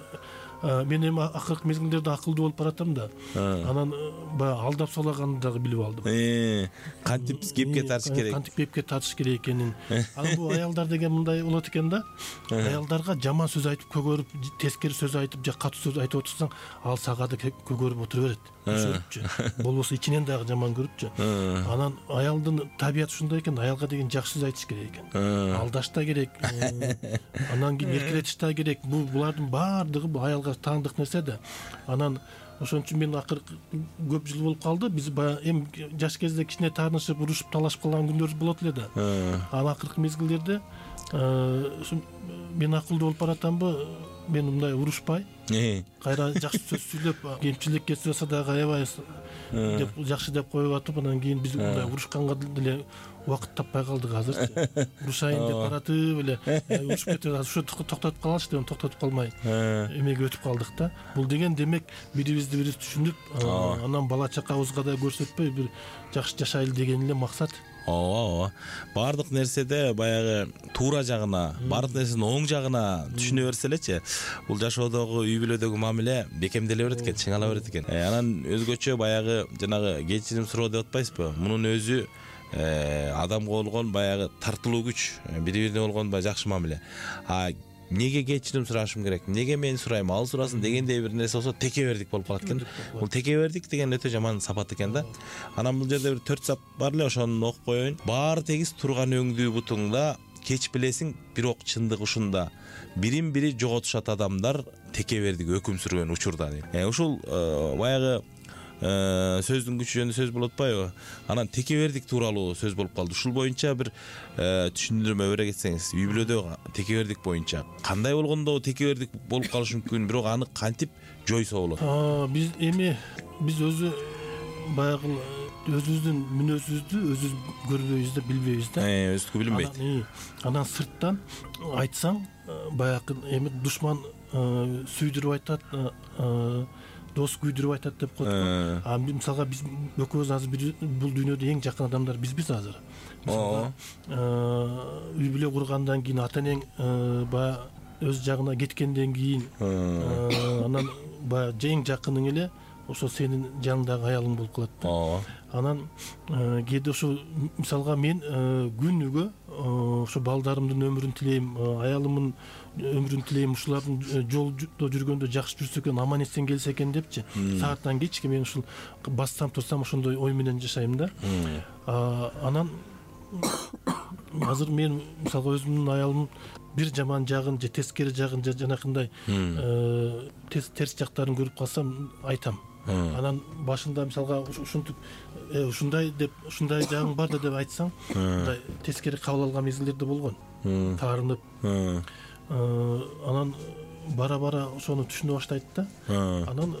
[SPEAKER 3] эми акыркы мезгилдерде акылдуу болуп баратам да. Анан баягы алдап салганды дагы билип алдым.
[SPEAKER 2] Кантип кепке тартыш керек?
[SPEAKER 3] Кантип кепке тартыш керек экенин. Анан бул аялдар деген мындай болот экен да. Аялдарга жаман сөз айтып көгөрүп, тескери сөз айтып же катуу сөз айтып отурсаң, ал сага да көгөрүп отура берет. Болбосо ичинен дагы жаман көрүпчү. Анан аялдын табияты ушундай экен, аялга деген жакшы сөз айтыш керек экен. Алдаш да керек. Анан кийин эркелетиш да керек. Булардын баардыгы аялга таандык нерсе да. Анан ошон үчүн мен акыркы көп жыл болуп калды. Биз баягы эми жаш кезде кичине таанышып, урушуп, талашып калган күндөр болот эле да. Ал акыркы мезгилдерде мен акылдуу болуп баратамбы, мен мындай урушпай, кайра жакшы сөз сүйлөп, кемчилик кетип жатса дагы аябай деп жакшы деп коюп атып, анан кийин биз мындай урушканга деле убакыт таппай калдык азырчы. Урушайын деп баратып эле урушуп кетип ошо токтотуп калалычы деп токтотуп калмай эмеге өтүп калдык да. Бул деген демек бирибизди бирибиз түшүнүп, анан бала чакабызга да көрсөтпөй бир жакшы жашайлы деген эле максат.
[SPEAKER 2] Ооба. Бардык нерседе баягы туура жагына, бардык нерсенин оң жагына түшүнө берсе элечи, бул жашоодогу, үй бүлөдөгү мамиле бекемделе берет экен, чыңала берет экен. Анан өзгөчө баягы жанагы кечирим суроо деп атпайсызбы? Мунун өзү адамга болгон баягы тартылуу күч, бири-бирине болгон баягы жакшы мамиле. Неге кечирим сурашым керек? Неге мен сурайм, ал сурасын дегендей бир нерсе болсо текебердик болуп калат экен. Бул текебердик деген өтө жаман сапат экен да. Анан бул жерде бир 4 сап бар эле, ошону окуп коеюн. Баары тегиз турган өңдүү бутуңда кеч билесиң, бирок чындык ушунда. Бирин бири жоготушат адамдар текебердик өкүм сүргөн учурда дейт. Ушул баягы сөздүн күчү жөнүндө сөз болуп атпайбы? Анан текебердик тууралуу сөз болуп калды. Ушул боюнча бир түшүндүрмө бере кетсеңиз, үй бүлөдө текебердик боюнча кандай болгондо текебердик болуп калышы мүмкүн, бирок аны кантип жойсо болот?
[SPEAKER 3] Биз өзү баягы өзүбүздүн мүнөзүбүздү өзүбүз көрбөйбүз да, билбейбиз да.
[SPEAKER 2] Өзүнүкү билинбейт.
[SPEAKER 3] Анан сырттан айтсаң, баягы эми душман сүйдүрүп айтат, дос күйдүрүп айтат деп коет. Мисалга биз экөөбүз азыр бул дүйнөдө эң жакын адамдар бизбиз азыр. Үй бүлө кургандан кийин ата энең баягы өз жагына кеткенден кийин анан баягы эң жакының эле ошо сенин жаныңдагы аялың болуп калат да. Анан кээде ошо мисалга мен күнүгө ошо балдарымдын өмүрүн тилейм, аялымдын өмүрүн тилейм, ушулардын жолдо жүргөндө жакшы жүрсө экен, аман эсен келсе экен депчи. Сааттан кечке мен ушул бассам турсам ошондой ой менен жашайм да. Анан азыр мен мисалга өзүмдүн аялымдын бир жаман жагын же тескери жагын же жанакындай терс жактарын көрүп калсам айтам. Анан башында мисалга ушинтип ушундай жагың бар да деп айтсаң, мындай тескери кабыл алган мезгилдерде болгон. Таарынып. Анан бара ошону түшүнө баштайт да. Анан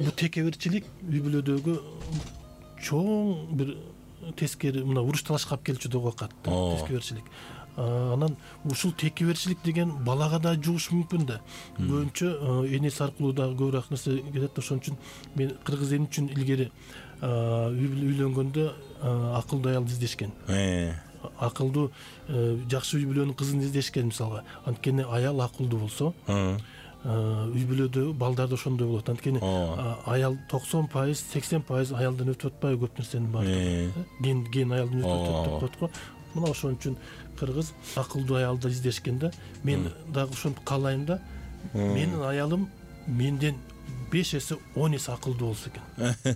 [SPEAKER 3] бул текеберчилик үй бүлөдөгү чоң бир тескери мына уруш талашка алып келчү деп атат. Текеберчилик. Анан ушул текеберчилик деген балага да жугушу мүмкүн да. Көбүнчө энеси аркылуу да көбүрөөк нерсе кетет. Ошон үчүн мен кыргыз эли үчүн илгери үйлөнгөндө акылдуу аялды издешкен. Акылдуу жакшы үй бүлөнүн кызын издешкен мисалга. Анткени аял акылдуу болсо, үй бүлөдө балдар да ошондой болот. Анткени аял 90%, 80% аялдан өтүп атпайбы көп нерсенин баардыгы. Ген аялдан өтүп атат деп коет го. Мына ошон үчүн кыргыз акылдуу аялды издешкен да. Мен дагы ошону каалайм да. Менин аялым менден 5 эсе 10 эсе акылдуу болсо экен.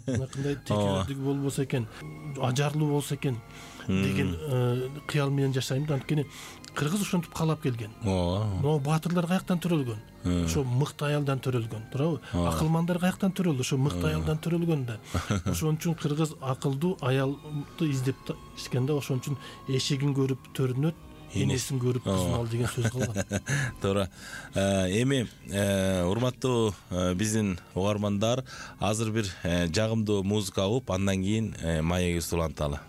[SPEAKER 3] Мынакындай текебердиги болбосо экен, ажарлуу болсо экен деген кыял менен жашайм да. Анткени кыргыз ошентип каалап келген. Могу баатырлар каяктан төрөлгөн? Ошо мыкты аялдан төрөлгөн, туурабы? Акылмандар каяктан төрөлдү? Ошо мыкты аялдан төрөлгөн да. Ошон үчүн кыргыз акылдуу аялды издеп ишкен да. Ошон үчүн эшигин көрүп төрүнөт, энесин көрүп кызын ал деген сөз калган.
[SPEAKER 2] Туура. Эми урматтуу биздин угармандар, азыр бир жагымдуу музыка угуп, андан кийин маегибизди уланталы.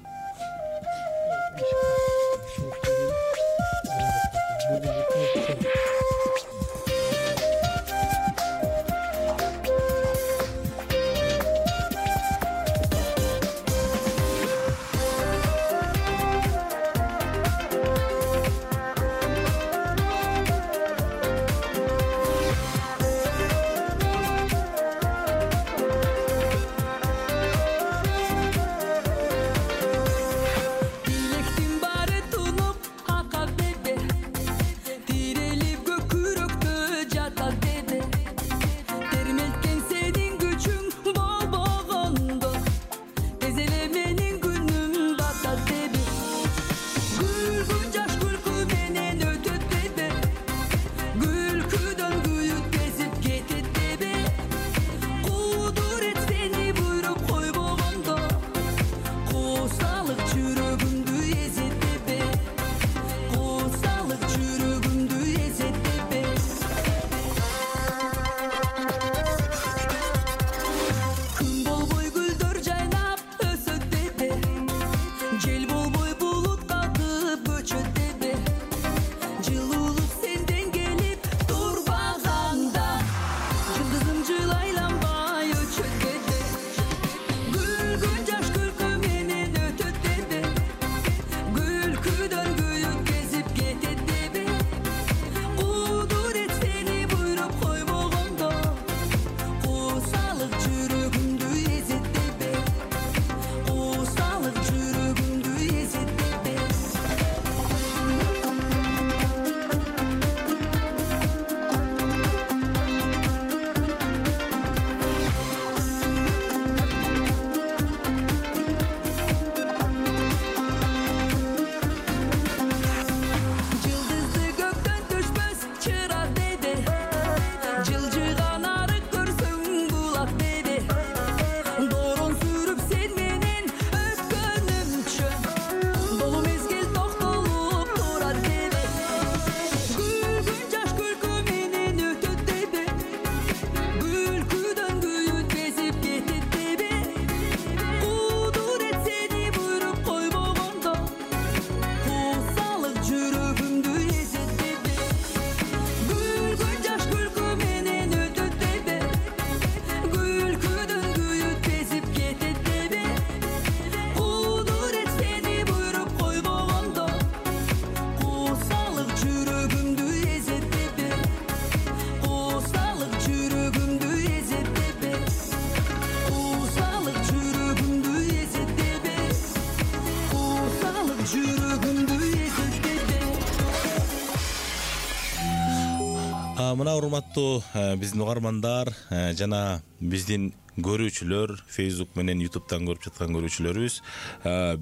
[SPEAKER 2] Мына урматтуу биздин угармандар жана биздин көрүүчүлөр, Facebook менен YouTube'дан көрүп жаткан көрүүчүлөрүбүз,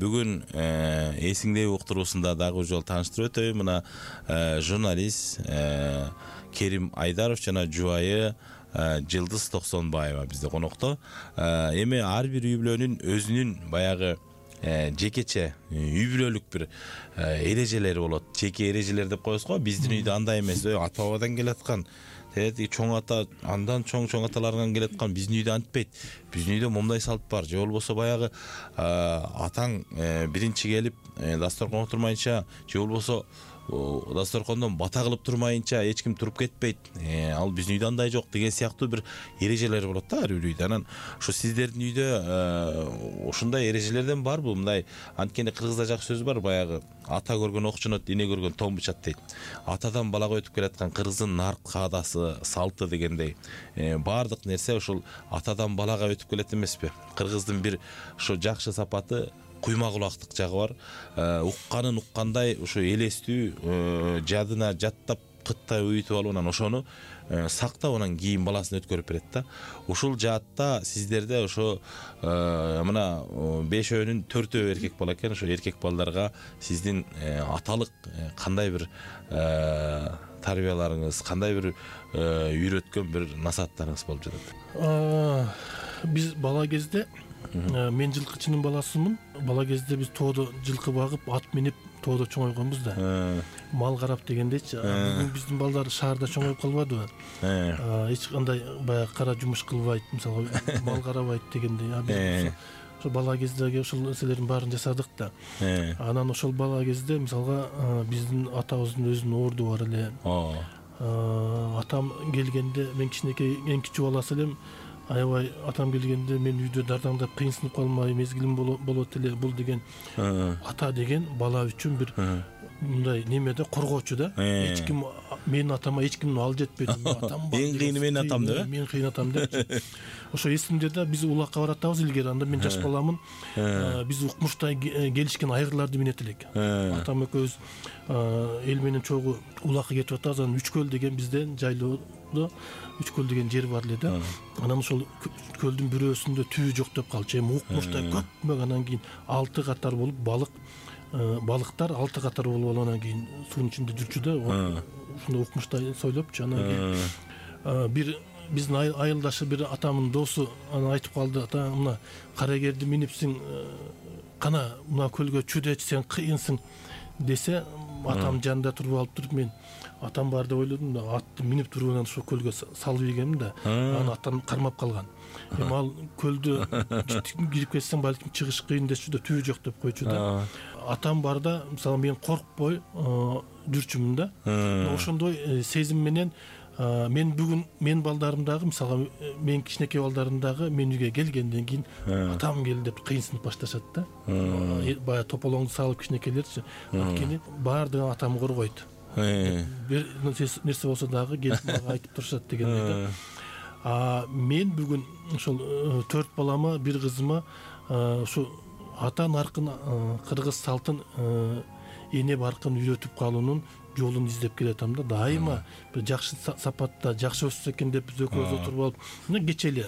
[SPEAKER 2] бүгүн эсиңдеби уктуруусунда дагы бир жолу тааныштырып өтөйүн. Мына журналист Керим Айдаров жана жубайы Жылдыз Токсонбаева бизде конокто. Эми ар бир үй бүлөнүн өзүнүн баягы жекече үй бүлөлүк бир эрежелери болот. Жеке эрежелер деп коебуз го. Биздин үйдө андай эмес, ата бабадан келаткан чоң ата, андан чоң аталардан келаткан. Биздин үйдө антпейт. Биздин үйдө момундай салт бар. Же болбосо баягы атаң биринчи келип дасторконго турмайынча, же болбосо дасторкондон бата кылып турмайынча эч ким туруп кетпейт. Ал биздин үйдө андай жок деген сыяктуу бир эрежелер болот да ар бир үйдө. Анан ушу сиздердин үйдө ушундай эрежелерден барбы? Мындай анткени кыргызда жакшы сөз бар, баягы ата көргөн окчонот, эне көргөн том бычат дейт. Атадан балага өтүп келаткан кыргыздын нарк каадасы, салты дегендей баардык нерсе ушул атадан балага өтүп келет эмеспи? Кыргыздын бир ушу жакшы сапаты куйма кулактык жагы бар. Укканын уккандай ушу элестүү жадына жаттап кыттай уютуп алып, анан ошону сактап, анан кийин баласына өткөрүп берет да. Ушул жаатта сиздерде ошо мына 5өөнүн 4өө эркек бала экен. Ошо эркек балдарга сиздин аталык кандай бир тарбияларыңыз, кандай бир үйрөткөн бир насааттарыңыз болуп жатат?
[SPEAKER 3] Биз бала кезде, мен жылкычынын баласымын. Бала кезде биз тоодо жылкы багып, ат минип тоодо чоңойгонбуз да. Мал карап дегендейчи. Бүгүн биздин балдар шаарда чоңоюп калбадыбы? Эч кандай баягы кара жумуш кылбайт, мисалы мал карабайт дегендей. Биз ошо бала кездеги ошол нерселердин баарын жасадык да. Анан ошол бала кезде мисалга биздин атабыздын өзүнүн орду бар эле. Атам келгенде, мен кичинекей эң кичүү баласы элем. Аябай атам келгенде мен үйдө дардаңдап кыйынсынып калмай, мезгилим болот эле. Бул деген ата деген бала үчүн бир мындай немеде коргоочу да. Эч ким менин атама эч кимдин ал жетпейт. Атам бар.
[SPEAKER 2] Эң кыйыны менин атам деп.
[SPEAKER 3] Мен кыйын атам деп. Ошо эсимде да, биз улакка баратабыз илгери. Анда мен жаш баламын. Биз укмуштай келишкен айгырларды минет элек. Атам экөөбүз эл менен чогуу улакка кетип атабыз. Анан Үчкөл деген бизден жайлоодо Үчкөл деген жер бар эле да. Анан ошол көлдүн бирөөсүндө түү жок деп калчу. Эми укмуштай көпмөк, анан кийин 6 катар болуп балыктар 6 катар болуп алып анан кийин суунун ичинде жүрчү да. Ушундай укмуштай сойлопчу. Анан кийин бир биздин айылдашы бир атамдын досу анан айтып калды: "Ата, мына карагерди минипсиң, кана мына көлгө чүдечи, сен кыйынсың" десе, атам жанында туруп алып туруп, мен атам бар деп ойлодум да, атты минип туруп анан ошо көлгө салып ийгенмин да. Анан атам кармап калган. Эми ал көлдө кирип кетсең балким чыгыш кыйын дечү да, түү жок деп койчу да. Атам бар да, мисалы мен коркпой жүрчүмүн да. Ошондой сезим менен мен бүгүн мен балдарым дагы, мисалы мен кичинекей балдарым дагы мен үйгө келгенден кийин атам келди деп кыйынсынып башташат да. Баягы тополоңду салып кичинекейлерчи. Анткени баардыгын атам коргойт. Бир нерсе болсо дагы келип мага айтып турушат дегендей да. Мен бүгүн ошол 4 балама, бир кызыма ушу ата наркын, кыргыз салтын, эне баркын үйрөтүп калуунун жолун издеп келатам да. Дайыма бир жакшы сапатта, жакшы өссө экен деп биз экөөбүз отуруп алып, мына кечели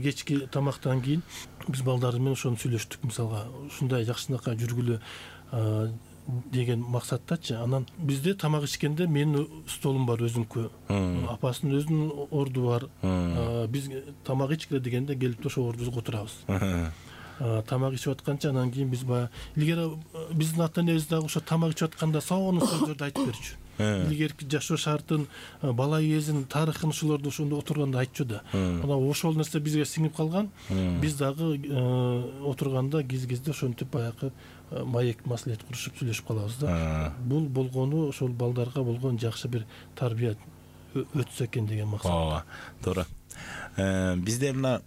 [SPEAKER 3] кечки тамактан кийин биз балдар менен ошону сүйлөштүк. Мисалга ушундай жакшынакай жүргүлө деген максаттачы. Анан бизде тамак ичкенде менин столум бар өзүмкү. Апасынын өзүнүн орду бар. Биз тамак ичкиле дегенде келип ошол ордубузга отурабыз. Тамак ичип атканча анан кийин биз баягы илгери биздин ата энебиз дагы ошо тамак ичип атканда сонун сөздөрдү айтып берчү. Илгерки жашоо шартын, бала кезин, тарыхын ошолорду ошондо отурганда айтчу да. Анан ошол нерсе бизге сиңип калган. Биз дагы отурганда киз-кизде ошентип баягы маек маслихат курушуп сүйлөшүп калабыз да. Бул болгону ошол балдарга болгон жакшы бир тарбия өтсө экен деген максат.
[SPEAKER 2] Туура. Бизде мына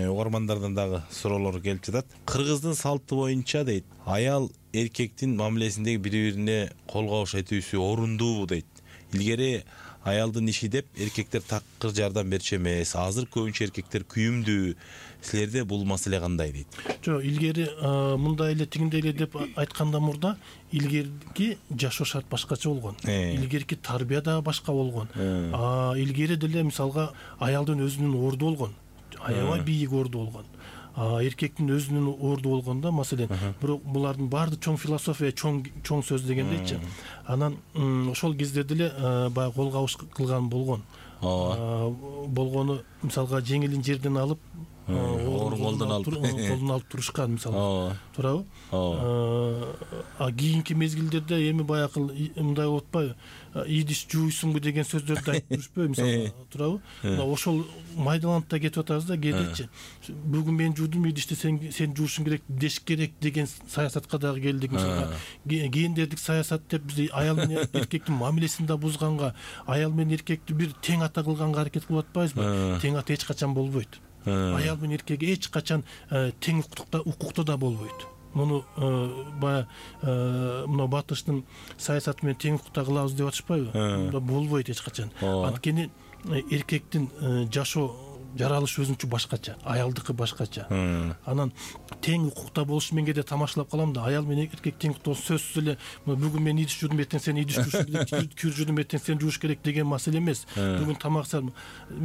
[SPEAKER 2] угармандардан дагы суроолор келип жатат. Кыргыздын салты боюнча дейт, аял эркектин мамилесиндеги бири-бирине кол кабыш этүүсү орундуубу дейт. Илгери аялдын иши деп эркектер такыр жардам берчү эмес. Азыр көбүнчө эркектер күйүмдүү, Силерде бул маселе кандай дейт?
[SPEAKER 3] Жок, илгери мындай эле тигиндей эле деп айтканда мурда илгерки жашоо шарт башкача болгон. Илгерки тарбия дагы башка болгон. Илгери деле мисалга аялдын өзүнүн орду болгон. Аябай бийик орду болгон. Эркектин өзүнүн орду болгондо, маселен, бирок булардын баары чоң философия, чоң сөз дегендейчи. Анан ошол кезде деле баягы кол кабыш кылган болгон. Болгону мисалга жеңилин жерден алып, колдон алып турушкан, мисалга. Туурабы? Кийинки мезгилдерде эми баягы мындай болуп атпайбы? Идиш жууйсуңбу деген сөздөрдү айтып жүрүшпөйбү, мисалга, туурабы? Ошол майдаланып да кетип атабыз да кээдечи. Бүгүн мен жуудум идишти, сен жуушуң керек, деш керек деген саясатка дагы келдик, мисалга. Гендердик саясат деп биз аял менен эркектин мамилесин да бузганга, аял менен эркекти бир тең ата кылганга аракет кылып атпайбызбы? Тең ата эч качан болбойт. Аял менен эркек эч качан тең укуктуу да болбойт. Муну баягы мына батыштын саясаты менен тең укукта кылабыз деп атышпайбы? Мында болбойт эч качан. Анткени эркектин жашоо жаралышы өзүнчө башкача, аялдыкы башкача. Анан тең укукта болушу мен кээде тамашалап калам да, аял менен эркек тең укукта сөзсүз эле бүгүн мен идиш жуудум, эртең сен идиш жуушуң керек, кир жуудум, эртең сен жууш керек деген маселе эмес. Бүгүн тамак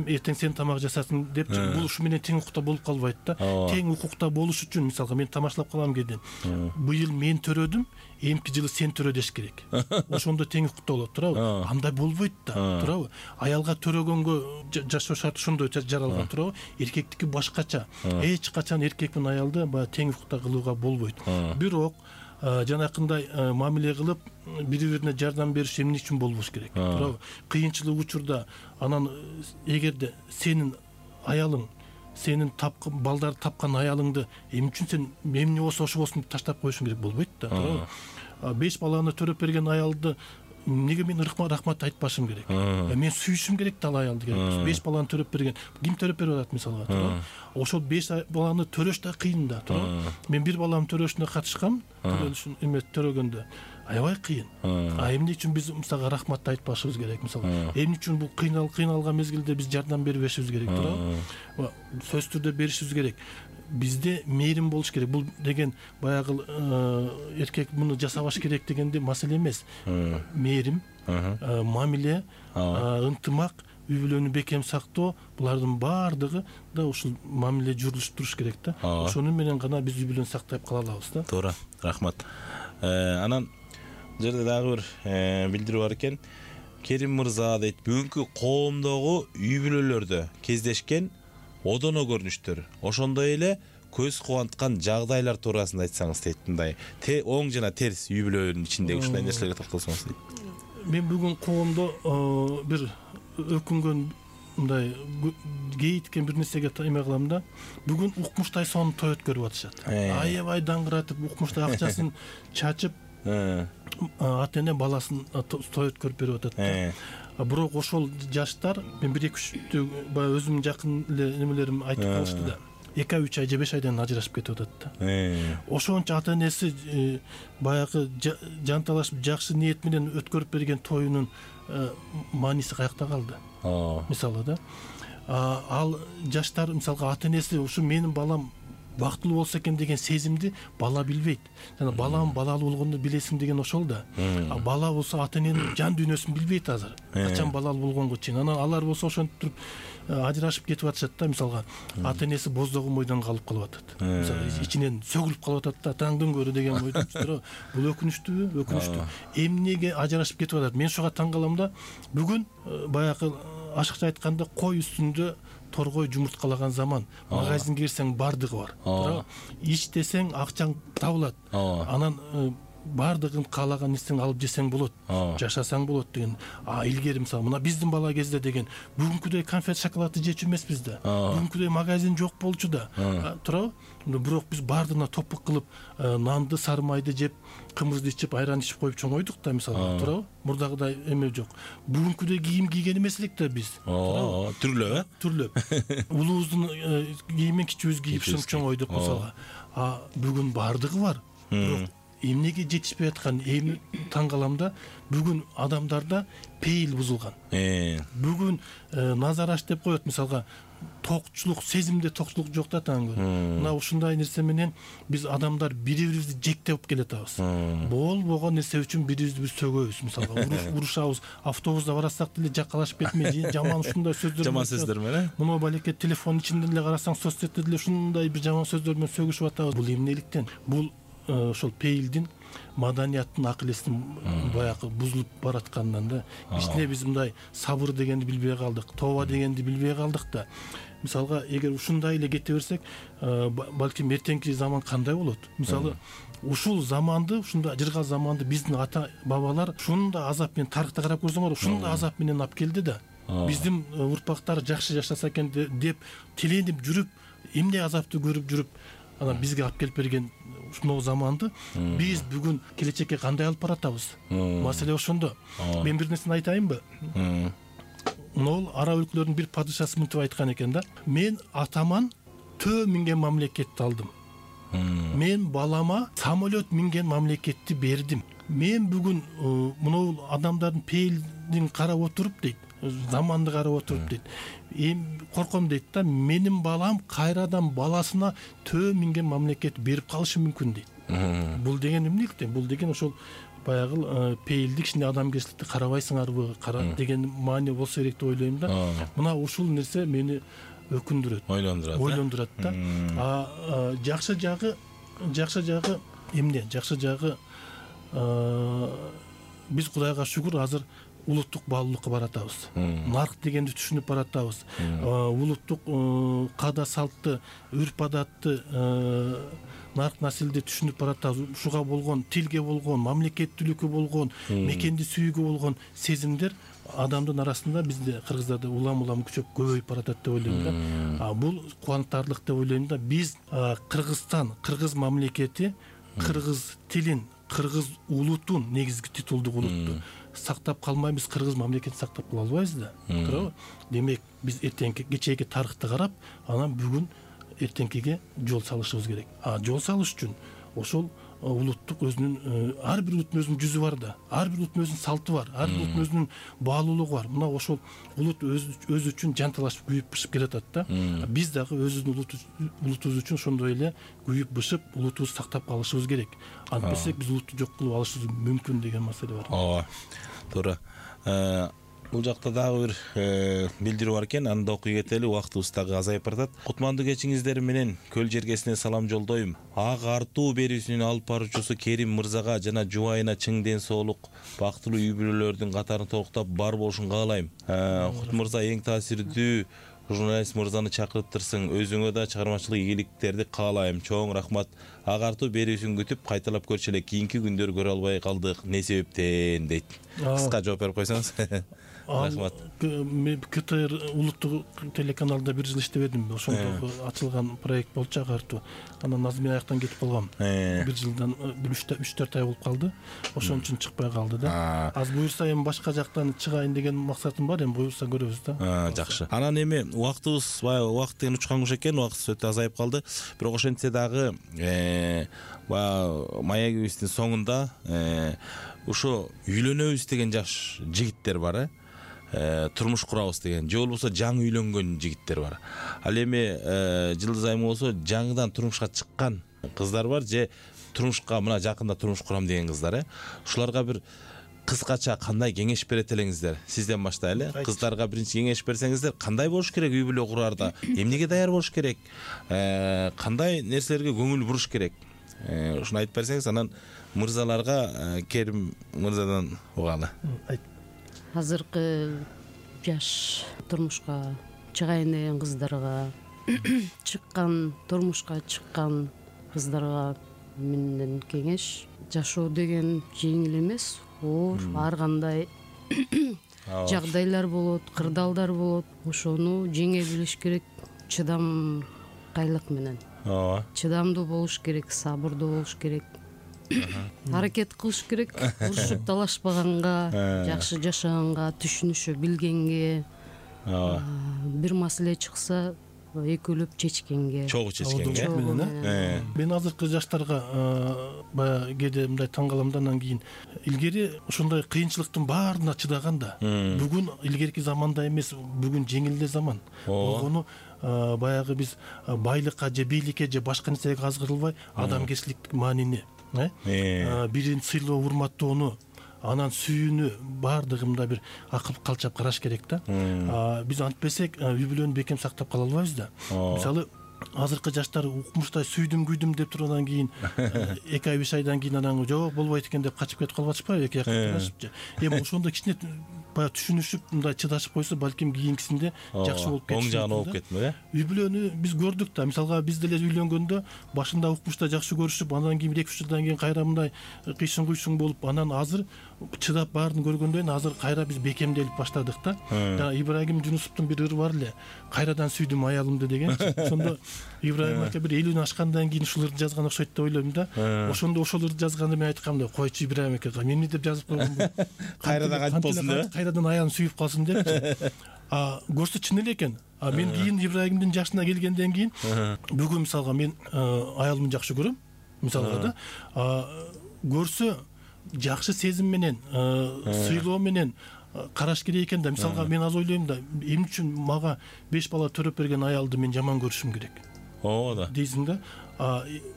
[SPEAKER 3] эртең сен тамак жасасын деп бул ушу менен тең укукта болуп калбайт да. Тең укукта болуш үчүн, мисалга, мен тамашалап калам кээде. Быйыл мен төрөдүм, эмки жылы сен төрө деш керек. Ошондо тең укукта болот, туурабы? Андай болбойт да, туурабы? Аялга төрөгөнгө жашоо шарты ошондой жаралган, туурабы? Эркектики башкача. Эч качан эркек менен аялды баягы тең укукта кылууга болбойт. Бирок жанакындай мамиле кылып, бири-бирине жардам бериш эмне үчүн болбош керек, туурабы? Кыйынчылык учурда анан эгерде сенин аялың, сенин балдар тапкан аялыңды эмне үчүн сен эмне болсо ошо болсун деп таштап коюшуң керек болбойт да, туурабы? 5 баланы төрөп берген аялды эмнеге мен рахмат айтпашым керек? Мен сүйүшүм керек да ал аялды. 5 баланы төрөп берген. Ким төрөп берип атат, мисалга, туурабы? Ошол 5 баланы төрөш да кыйын да, туурабы? Мен 1 баламдын төрөшүнө катышкам, төрөлүшүн төрөгөндө. Аябай кыйын. Эмне үчүн биз мисалга рахмат айтпашыбыз керек, мисалга? Эмне үчүн бул кыйналган мезгилде биз жардам бербешибиз керек, туурабы? Сөзсүз түрдө беришибиз керек. Бизде мээрим болуш керек. Бул деген баягы эркек муну жасабаш керек дегенде маселе эмес. Мээрим, мамиле, ынтымак, үй бүлөнү бекем сактоо, булардын баардыгы да ушул мамиле жүрүлүшүп туруш керек да. Ошону менен гана биз үй бүлөнү сактап кала алабыз да.
[SPEAKER 2] Туура, рахмат. Анан жерде дагы бир билдирүү бар экен. Керим мырза дейт, бүгүнкү коомдогу үй бүлөлөрдө кездешкен одоно көрүнүштөр, ошондой эле көз кубанткан жагдайлар туурасында айтсаңыз дейт. Мындай оң жана терс үй бүлөнүн ичиндеги ушундай нерселерге токтолсоңуз дейт.
[SPEAKER 3] Мен бүгүн коомдо бир өкүнгөн, мындай кейиткен бир нерсеге эме кылам да. Бүгүн укмуштай сонун той өткөрүп атышат. Аябай даңгыратып, укмуштай акчасын чачып, ата эне баласын той өткөрүп берип атат. Бирок ошол жаштар, мен 1-2 баягы өзүмдүн жакын эле немелерим айтып калышты да. 2-3 ай же 5 айдан ажырашып кетип атат да. Ошончо ата энеси баягы жанталашып жакшы ниет менен өткөрүп берген тоюнун мааниси каякта калды? Мисалы да. Ал жаштар, мисалга, ата энеси ушу менин балам бактылуу болсо экен деген сезимди бала билбейт. Жана балам балалуу болгондо билесиң деген ошол да. Бала болсо ата эненин жан дүйнөсүн билбейт азыр. Качан балалуу болгонго чейин. Анан алар болсо ошентип туруп ажырашып кетип атышат да, мисалга. Ата энеси боздогон бойдон калып атат. Мисалы, ичинен сөгүлүп калып атат да, таңдын көрү деген бойдон. Бул өкүнүчтүүбү? Өкүнүчтүү. Эмнеге ажырашып кетип атат? Мен ошого таң калам да. Бүгүн баягы ашыкча айтканда кой үстүндө торгой жумурткалаган заман. Магазинге кирсең бардыгы бар. Иштесең акчаң табылат. Анан бардыгын каалаган нерсени алып жесең болот, жашасаң болот деген. Илгери мисалы мына биздин бала кезде деген бүгүнкүдөй конфет шоколадты жечү эмеспиз да. Бүгүнкүдөй магазин жок болчу да. Туурабы? Бирок биз бардыгына топук кылып нанды, сары майды жеп, кымызды ичип, айран ичип коюп чоңойдук да, мисалы, туурабы? Мурдагыдай эме жок. Бүгүнкүдөй кийим кийген эмес элек да биз.
[SPEAKER 2] Түрлөп,
[SPEAKER 3] Түрлөп. Улуубуздун кийимин кичүүбүз кийип чоңойдук, мисалга. Бүгүн бардыгы бар. Бирок эмнеге жетишпей аткан эми таң калам да. Бүгүн адамдарда пейил бузулган. Бүгүн назараш деп коет, мисалга, токчулук, сезимде токчулук жок да таңгы. Мына ушундай нерсе менен биз адамдар бири-бирибизди жектеп келатабыз. Болбогон нерсе үчүн бири-бирибизди биз сөгөбүз. Мисалга урушабыз, автобуста барасак деле жакалашып кетмей, жаман ушундай сөздөр
[SPEAKER 2] менен.
[SPEAKER 3] Мына балеке телефон ичинде деле карасаң, соцсетте деле ушундай бир жаман сөздөр менен сөгүшүп атабыз. Бул эмнеликтен? Бул ошол пейилдин, маданияттын, акыл эстин баягы бузулуп бараткандан да. Кичине биз мындай сабыр дегенди билбей калдык, тооба дегенди билбей калдык да. Мисалга, эгер ушундай эле кете берсек, балким эртеңки заман кандай болот? Мисалы, ушул заманды, ушундай ажыргал заманды биздин ата бабалар ушундай азап менен, тарыхта карап көрсөңөр, ушундай азап менен алып келди да. Биздин урпактар жакшы жашаса экен деп тиленип жүрүп, эмне азапты көрүп жүрүп, анан бизге алып келип берген ушул заманды биз бүгүн келечекке кандай алып баратабыз? Маселе ошондо. Мен бир нерсени айтайынбы? Могул араб өлкөлөрүнүн бир падышасы мынтип айткан экен да: мен атаман төө минген мамлекетти алдым. Мен балама самолет минген мамлекетти бердим. Мен бүгүн мынау адамдардын пейилдин карап отуруп дейт, заманды карап отуруп дейт, корком дейт да, менин балам кайрадан баласына төө минген мамлекет берип калышы мүмкүн дейт. Бул деген эмнеликтен? Бул деген ошол баягы пейилдик, кичине адамгерчиликти карабайсыңарбы, деген маани болсо керек деп ойлойм да. Мына ушул нерсе мени өкүндүрөт, ойлондурат да. Жакшы жагы эмне? Жакшы жагы биз Кудайга шүгүр азыр улуттук баалуулукка баратабыз. Нарк дегенди түшүнүп баратабыз. Улуттук каада салтты, үрп адатты, нарк насилди түшүнүп баратабыз. Ушуга болгон, тилге болгон, мамлекеттүүлүккө болгон, мекенди сүйүүгө болгон сезимдер адамдын арасында, бизде кыргыздарда улам күчөп көбөйүп баратат деп ойлойм да. Бул кубанычтарлык деп ойлойм да. Биз Кыргызстан, кыргыз мамлекети, кыргыз тилин, кыргыз улутун, негизги титулдук улутту сактап калмайбыз, кыргыз мамлекетин сактап кала албайбыз да. Туурабы? Демек, биз эртеңки, кечээги тарыхты карап, анан бүгүн эртеңкиге жол салышыбыз керек. Жол салыш үчүн ошол улуттук өзүнүн, ар бир улуттун өзүнүн жүзү бар да, ар бир улуттун өзүнүн салты бар, ар бир улуттун өзүнүн баалуулугу бар. Мына ошол улут өзү үчүн жанталашып күйүп бышып келатат да. Биз дагы өзүбүздүн улутубуз үчүн ошондой эле күйүп бышып, улутубузду сактап калышыбыз керек. Антпесек биз улутту жок кылып алышыбыз мүмкүн деген маселе бар.
[SPEAKER 2] Туура. Бул жакта дагы бир билдирүү бар экен, аны да окуй кетели, убактыбыз дагы азайып баратат. Кутмандуу кечиңиздер менен Көл жергесине салам жолдойм. Ак артуу берүүсүнүн алып баруучусу Керим мырзага жана жубайына чың ден соолук, бактылуу үй бүлөлөрдүн катарын толуктап бар болушун каалайм. Кут мырза эң таасирдүү журналист мырзаны чакырыптырсың. Өзүңө да чыгармачылык ийгиликтерди каалайм. Чоң рахмат. Ак артуу берүүсүн күтүп кайталап көрчү эле. Кийинки күндөр көрө албай калдык. Не себептен дейт. Кыска жооп берип койсоңуз. Рахмат.
[SPEAKER 3] КТР улуттук телеканалда бир жыл иштебедим. Ошондо ачылган проект болчу Ак артуу. Анан назмий аяктан кетип калгам. Бир жылдан 3-4 ай болуп калды. Ошон үчүн чыкпай калды да. Аз буюрса эми башка жактан чыгайын деген максатым бар, эми буюрса көрөбүз да.
[SPEAKER 2] Жакшы. Анан эми убактыбыз, убакыт деген учкан куш экен, убактыбыз өтө азайып калды. Бирок ошентсе дагы маегибиздин соңунда ушу үйлөнөбүз деген жаш жигиттер бар, турмуш курабыз деген, же болбосо жаңы үйлөнгөн жигиттер бар. Ал эми Жылдыз айым болсо жаңыдан турмушка чыккан кыздар бар, же турмушка мына жакында турмуш курам деген кыздар. Ушуларга бир кыскача кандай кеңеш берет элеңиздер? Сизден баштайлы. Кыздарга биринчи кеңеш берсеңиздер, кандай болуш керек үй бүлө курарда? Эмнеге даяр болуш керек? Кандай нерселерге көңүл буруш керек? Ушуну айтып берсеңиз, анан мырзаларга, Керим мырзадан угалы.
[SPEAKER 4] Азыркы жаш турмушка чыгайын деген кыздарга, турмушка чыккан кыздарга менден кеңеш: жашоо деген жеңил эмес, оор, ар кандай жагдайлар болот, кырдаалдар болот. Ошону жеңе билиш керек, чыдамкайлык менен. Чыдамдуу болуш керек, сабырдуу болуш керек. Аракет кылыш керек, урушуп талашпаганга, жакшы жашаганга, түшүнүшө билгенге, бир маселе чыкса экөөлөп чечкенге,
[SPEAKER 2] чогуу чечкенге.
[SPEAKER 3] Мен азыркы жаштарга баягы кээде мындай таң калам да, анан кийин илгери ушундай кыйынчылыктын баарына чыдаган да. Бүгүн илгерки заманда эмес, бүгүн жеңил эле заман болгону баягы биз байлыкка же бийликке же башка нерсеге азгырылбай адамгерчиликтик маанини бирин сыйлоо урматтоону анан сүйүүнү баардыгында бир акыл калчап караш керек да. Биз антпесек үй бүлөнү бекем сактап кала албайбыз да. Мисалы азыркы жаштар укмуштай сүйдүм күйдүм деп тургандан кийин 2-3 айдан кийин анан жок болбойт экен деп качып кетип калып атышпайбы, эки жакка турашыпчы. Эми ошондо кичине баягы түшүнүшүп мындай чыдашып койсо балким кийинкисинде жакшы болуп кетиши.
[SPEAKER 2] Оң жагына болуп кетме?
[SPEAKER 3] Үй бүлөнү биз көрдүк да. Мисалга биз деле үйлөнгөндө башында укмуштай жакшы көрүшүп, андан кийин 2-3 жылдан кийин кайра мындай кыйшын куйшуң болуп, анан азыр чыдап баарын көргөндөн кийин азыр кайра биз бекемделип баштадык да. Жана Ибрагим Жунусовдун бир ыры бар эле. Кайрадан сүйдүм аялымды дегенчи. Ошондо Ибрагим ака бир 50 ашкандан кийин ушул ырды жазган окшойт деп ойлойм да. Ошондо ошол ырды жазганда мен айткам да, койчу Ибрагим ака, мен эмне деп жазып койгонмун?
[SPEAKER 2] Кайрадан кантип болсун деп?
[SPEAKER 3] Кайрадан аялым сүйүп калсын депчи. Көрсө чын эле экен. Мен кийин Ибрагимдин жашына келгенден кийин бүгүн мисалга мен аялымды жакшы көрөм. Мисалга да көрсө жакшы сезим менен, сыйлоо менен караш керек экен да. Мисалга мен аз ойлойм да, эмне үчүн мага 5 бала төрөп берген аялды мен жаман көрүшүм керек?
[SPEAKER 2] Да.
[SPEAKER 3] Дейсиң да.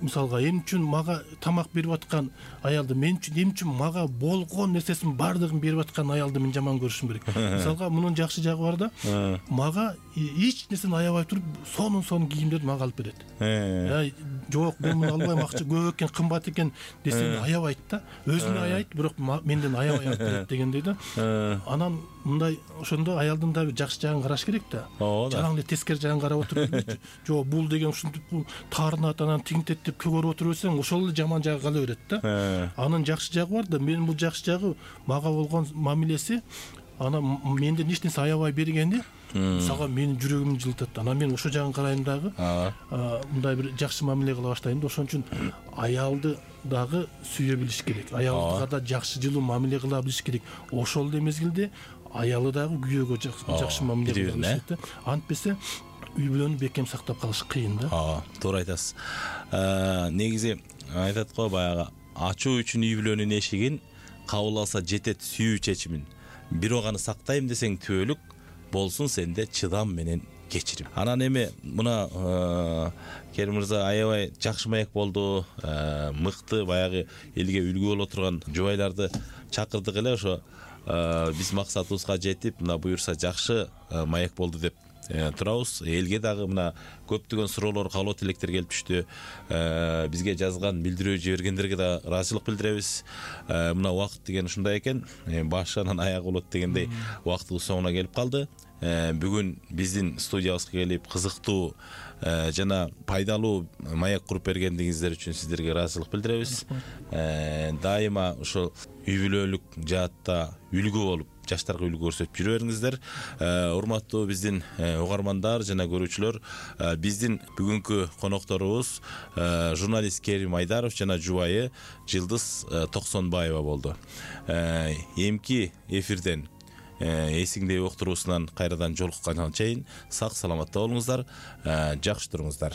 [SPEAKER 3] Мисалга эмне үчүн мага тамак берип аткан аялды, эмне үчүн мага болгон нерсесин баардыгын берип аткан аялды мен жаман көрүшүм керек? Мисалга мунун жакшы жагы бар да. Мага эч нерсени аябай туруп, сонун кийимдерди мага алып берет. Жок, мен муну албайм, акча көп экен, кымбат экен десең аябайт да. Өзүнө аябайт, бирок менден аябай алып берет дегендей да. Анан мындай ошондо аялдын да жакшы жагын караш керек да. Жалаң эле тескери жагын карап отуруп, жок бул деген ушинтип таарынат, анан тигинтет деп көрүп отуруп берсең, ошол эле жаман жагы кала берет да. Анын жакшы жагы бар да. Менин бул жакшы жагы мага болгон мамилеси, анан менден эч нерсе аябай бергени, мисалга менин жүрөгүмдү жылытат. Анан мен ошол жагын карайм дагы, мындай бир жакшы мамиле кыла баштайм да. Ошон үчүн аялды дагы сүйө билиш керек. Аялга да жакшы жылуу мамиле кыла билиш керек. Ошол эле мезгилде аялы дагы күйөөгө жакшы мамиле кыла билиш керек да. Антпесе үй бүлөнү бекем сактап калыш кыйын да.
[SPEAKER 2] Туура айтасыз. Негизи айтат го, баягы ачуу үчүн үй бүлөнүн эшигин кабыл алса жетет сүйүү чечимин. Бирок аны сактайм десең түбөлүк болсун сенде чыдам менен кечирим. Анан эми мына Керим мырза аябай жакшы маек болду, мыкты баягы элге үлгү боло турган жубайларды чакырдык эле. Ошо биз максатыбызга жетип, мына буюрса жакшы маек болду деп турабыз. Элге дагы мына көптөгөн суроолор, каалоо тилектер келип түштү. Бизге жазган, билдирүү жибергендерге да ыраазычылык билдиребиз. Мына убакыт деген ушундай экен, башынан аяк болот дегендей убактыбыз соңуна келип калды. Бүгүн биздин студиябызга келип кызыктуу жана пайдалуу маек куруп бергендигиңиздер үчүн сиздерге ыраазычылык билдиребиз. Дайыма ошол үй бүлөлүк жаатта үлгү болуп, жаштарга үлгү көрсөтүп жүрө бериңиздер. Урматтуу биздин угармандар жана көрүүчүлөр, биздин бүгүнкү конокторубуз журналист Керим Айдаров жана жубайы Жылдыз Токсонбаева болду. Эмки эфирден эсиңдеби уктуруусунан кайрадан жолукканга чейин сак саламатта болуңуздар, жакшы туруңуздар.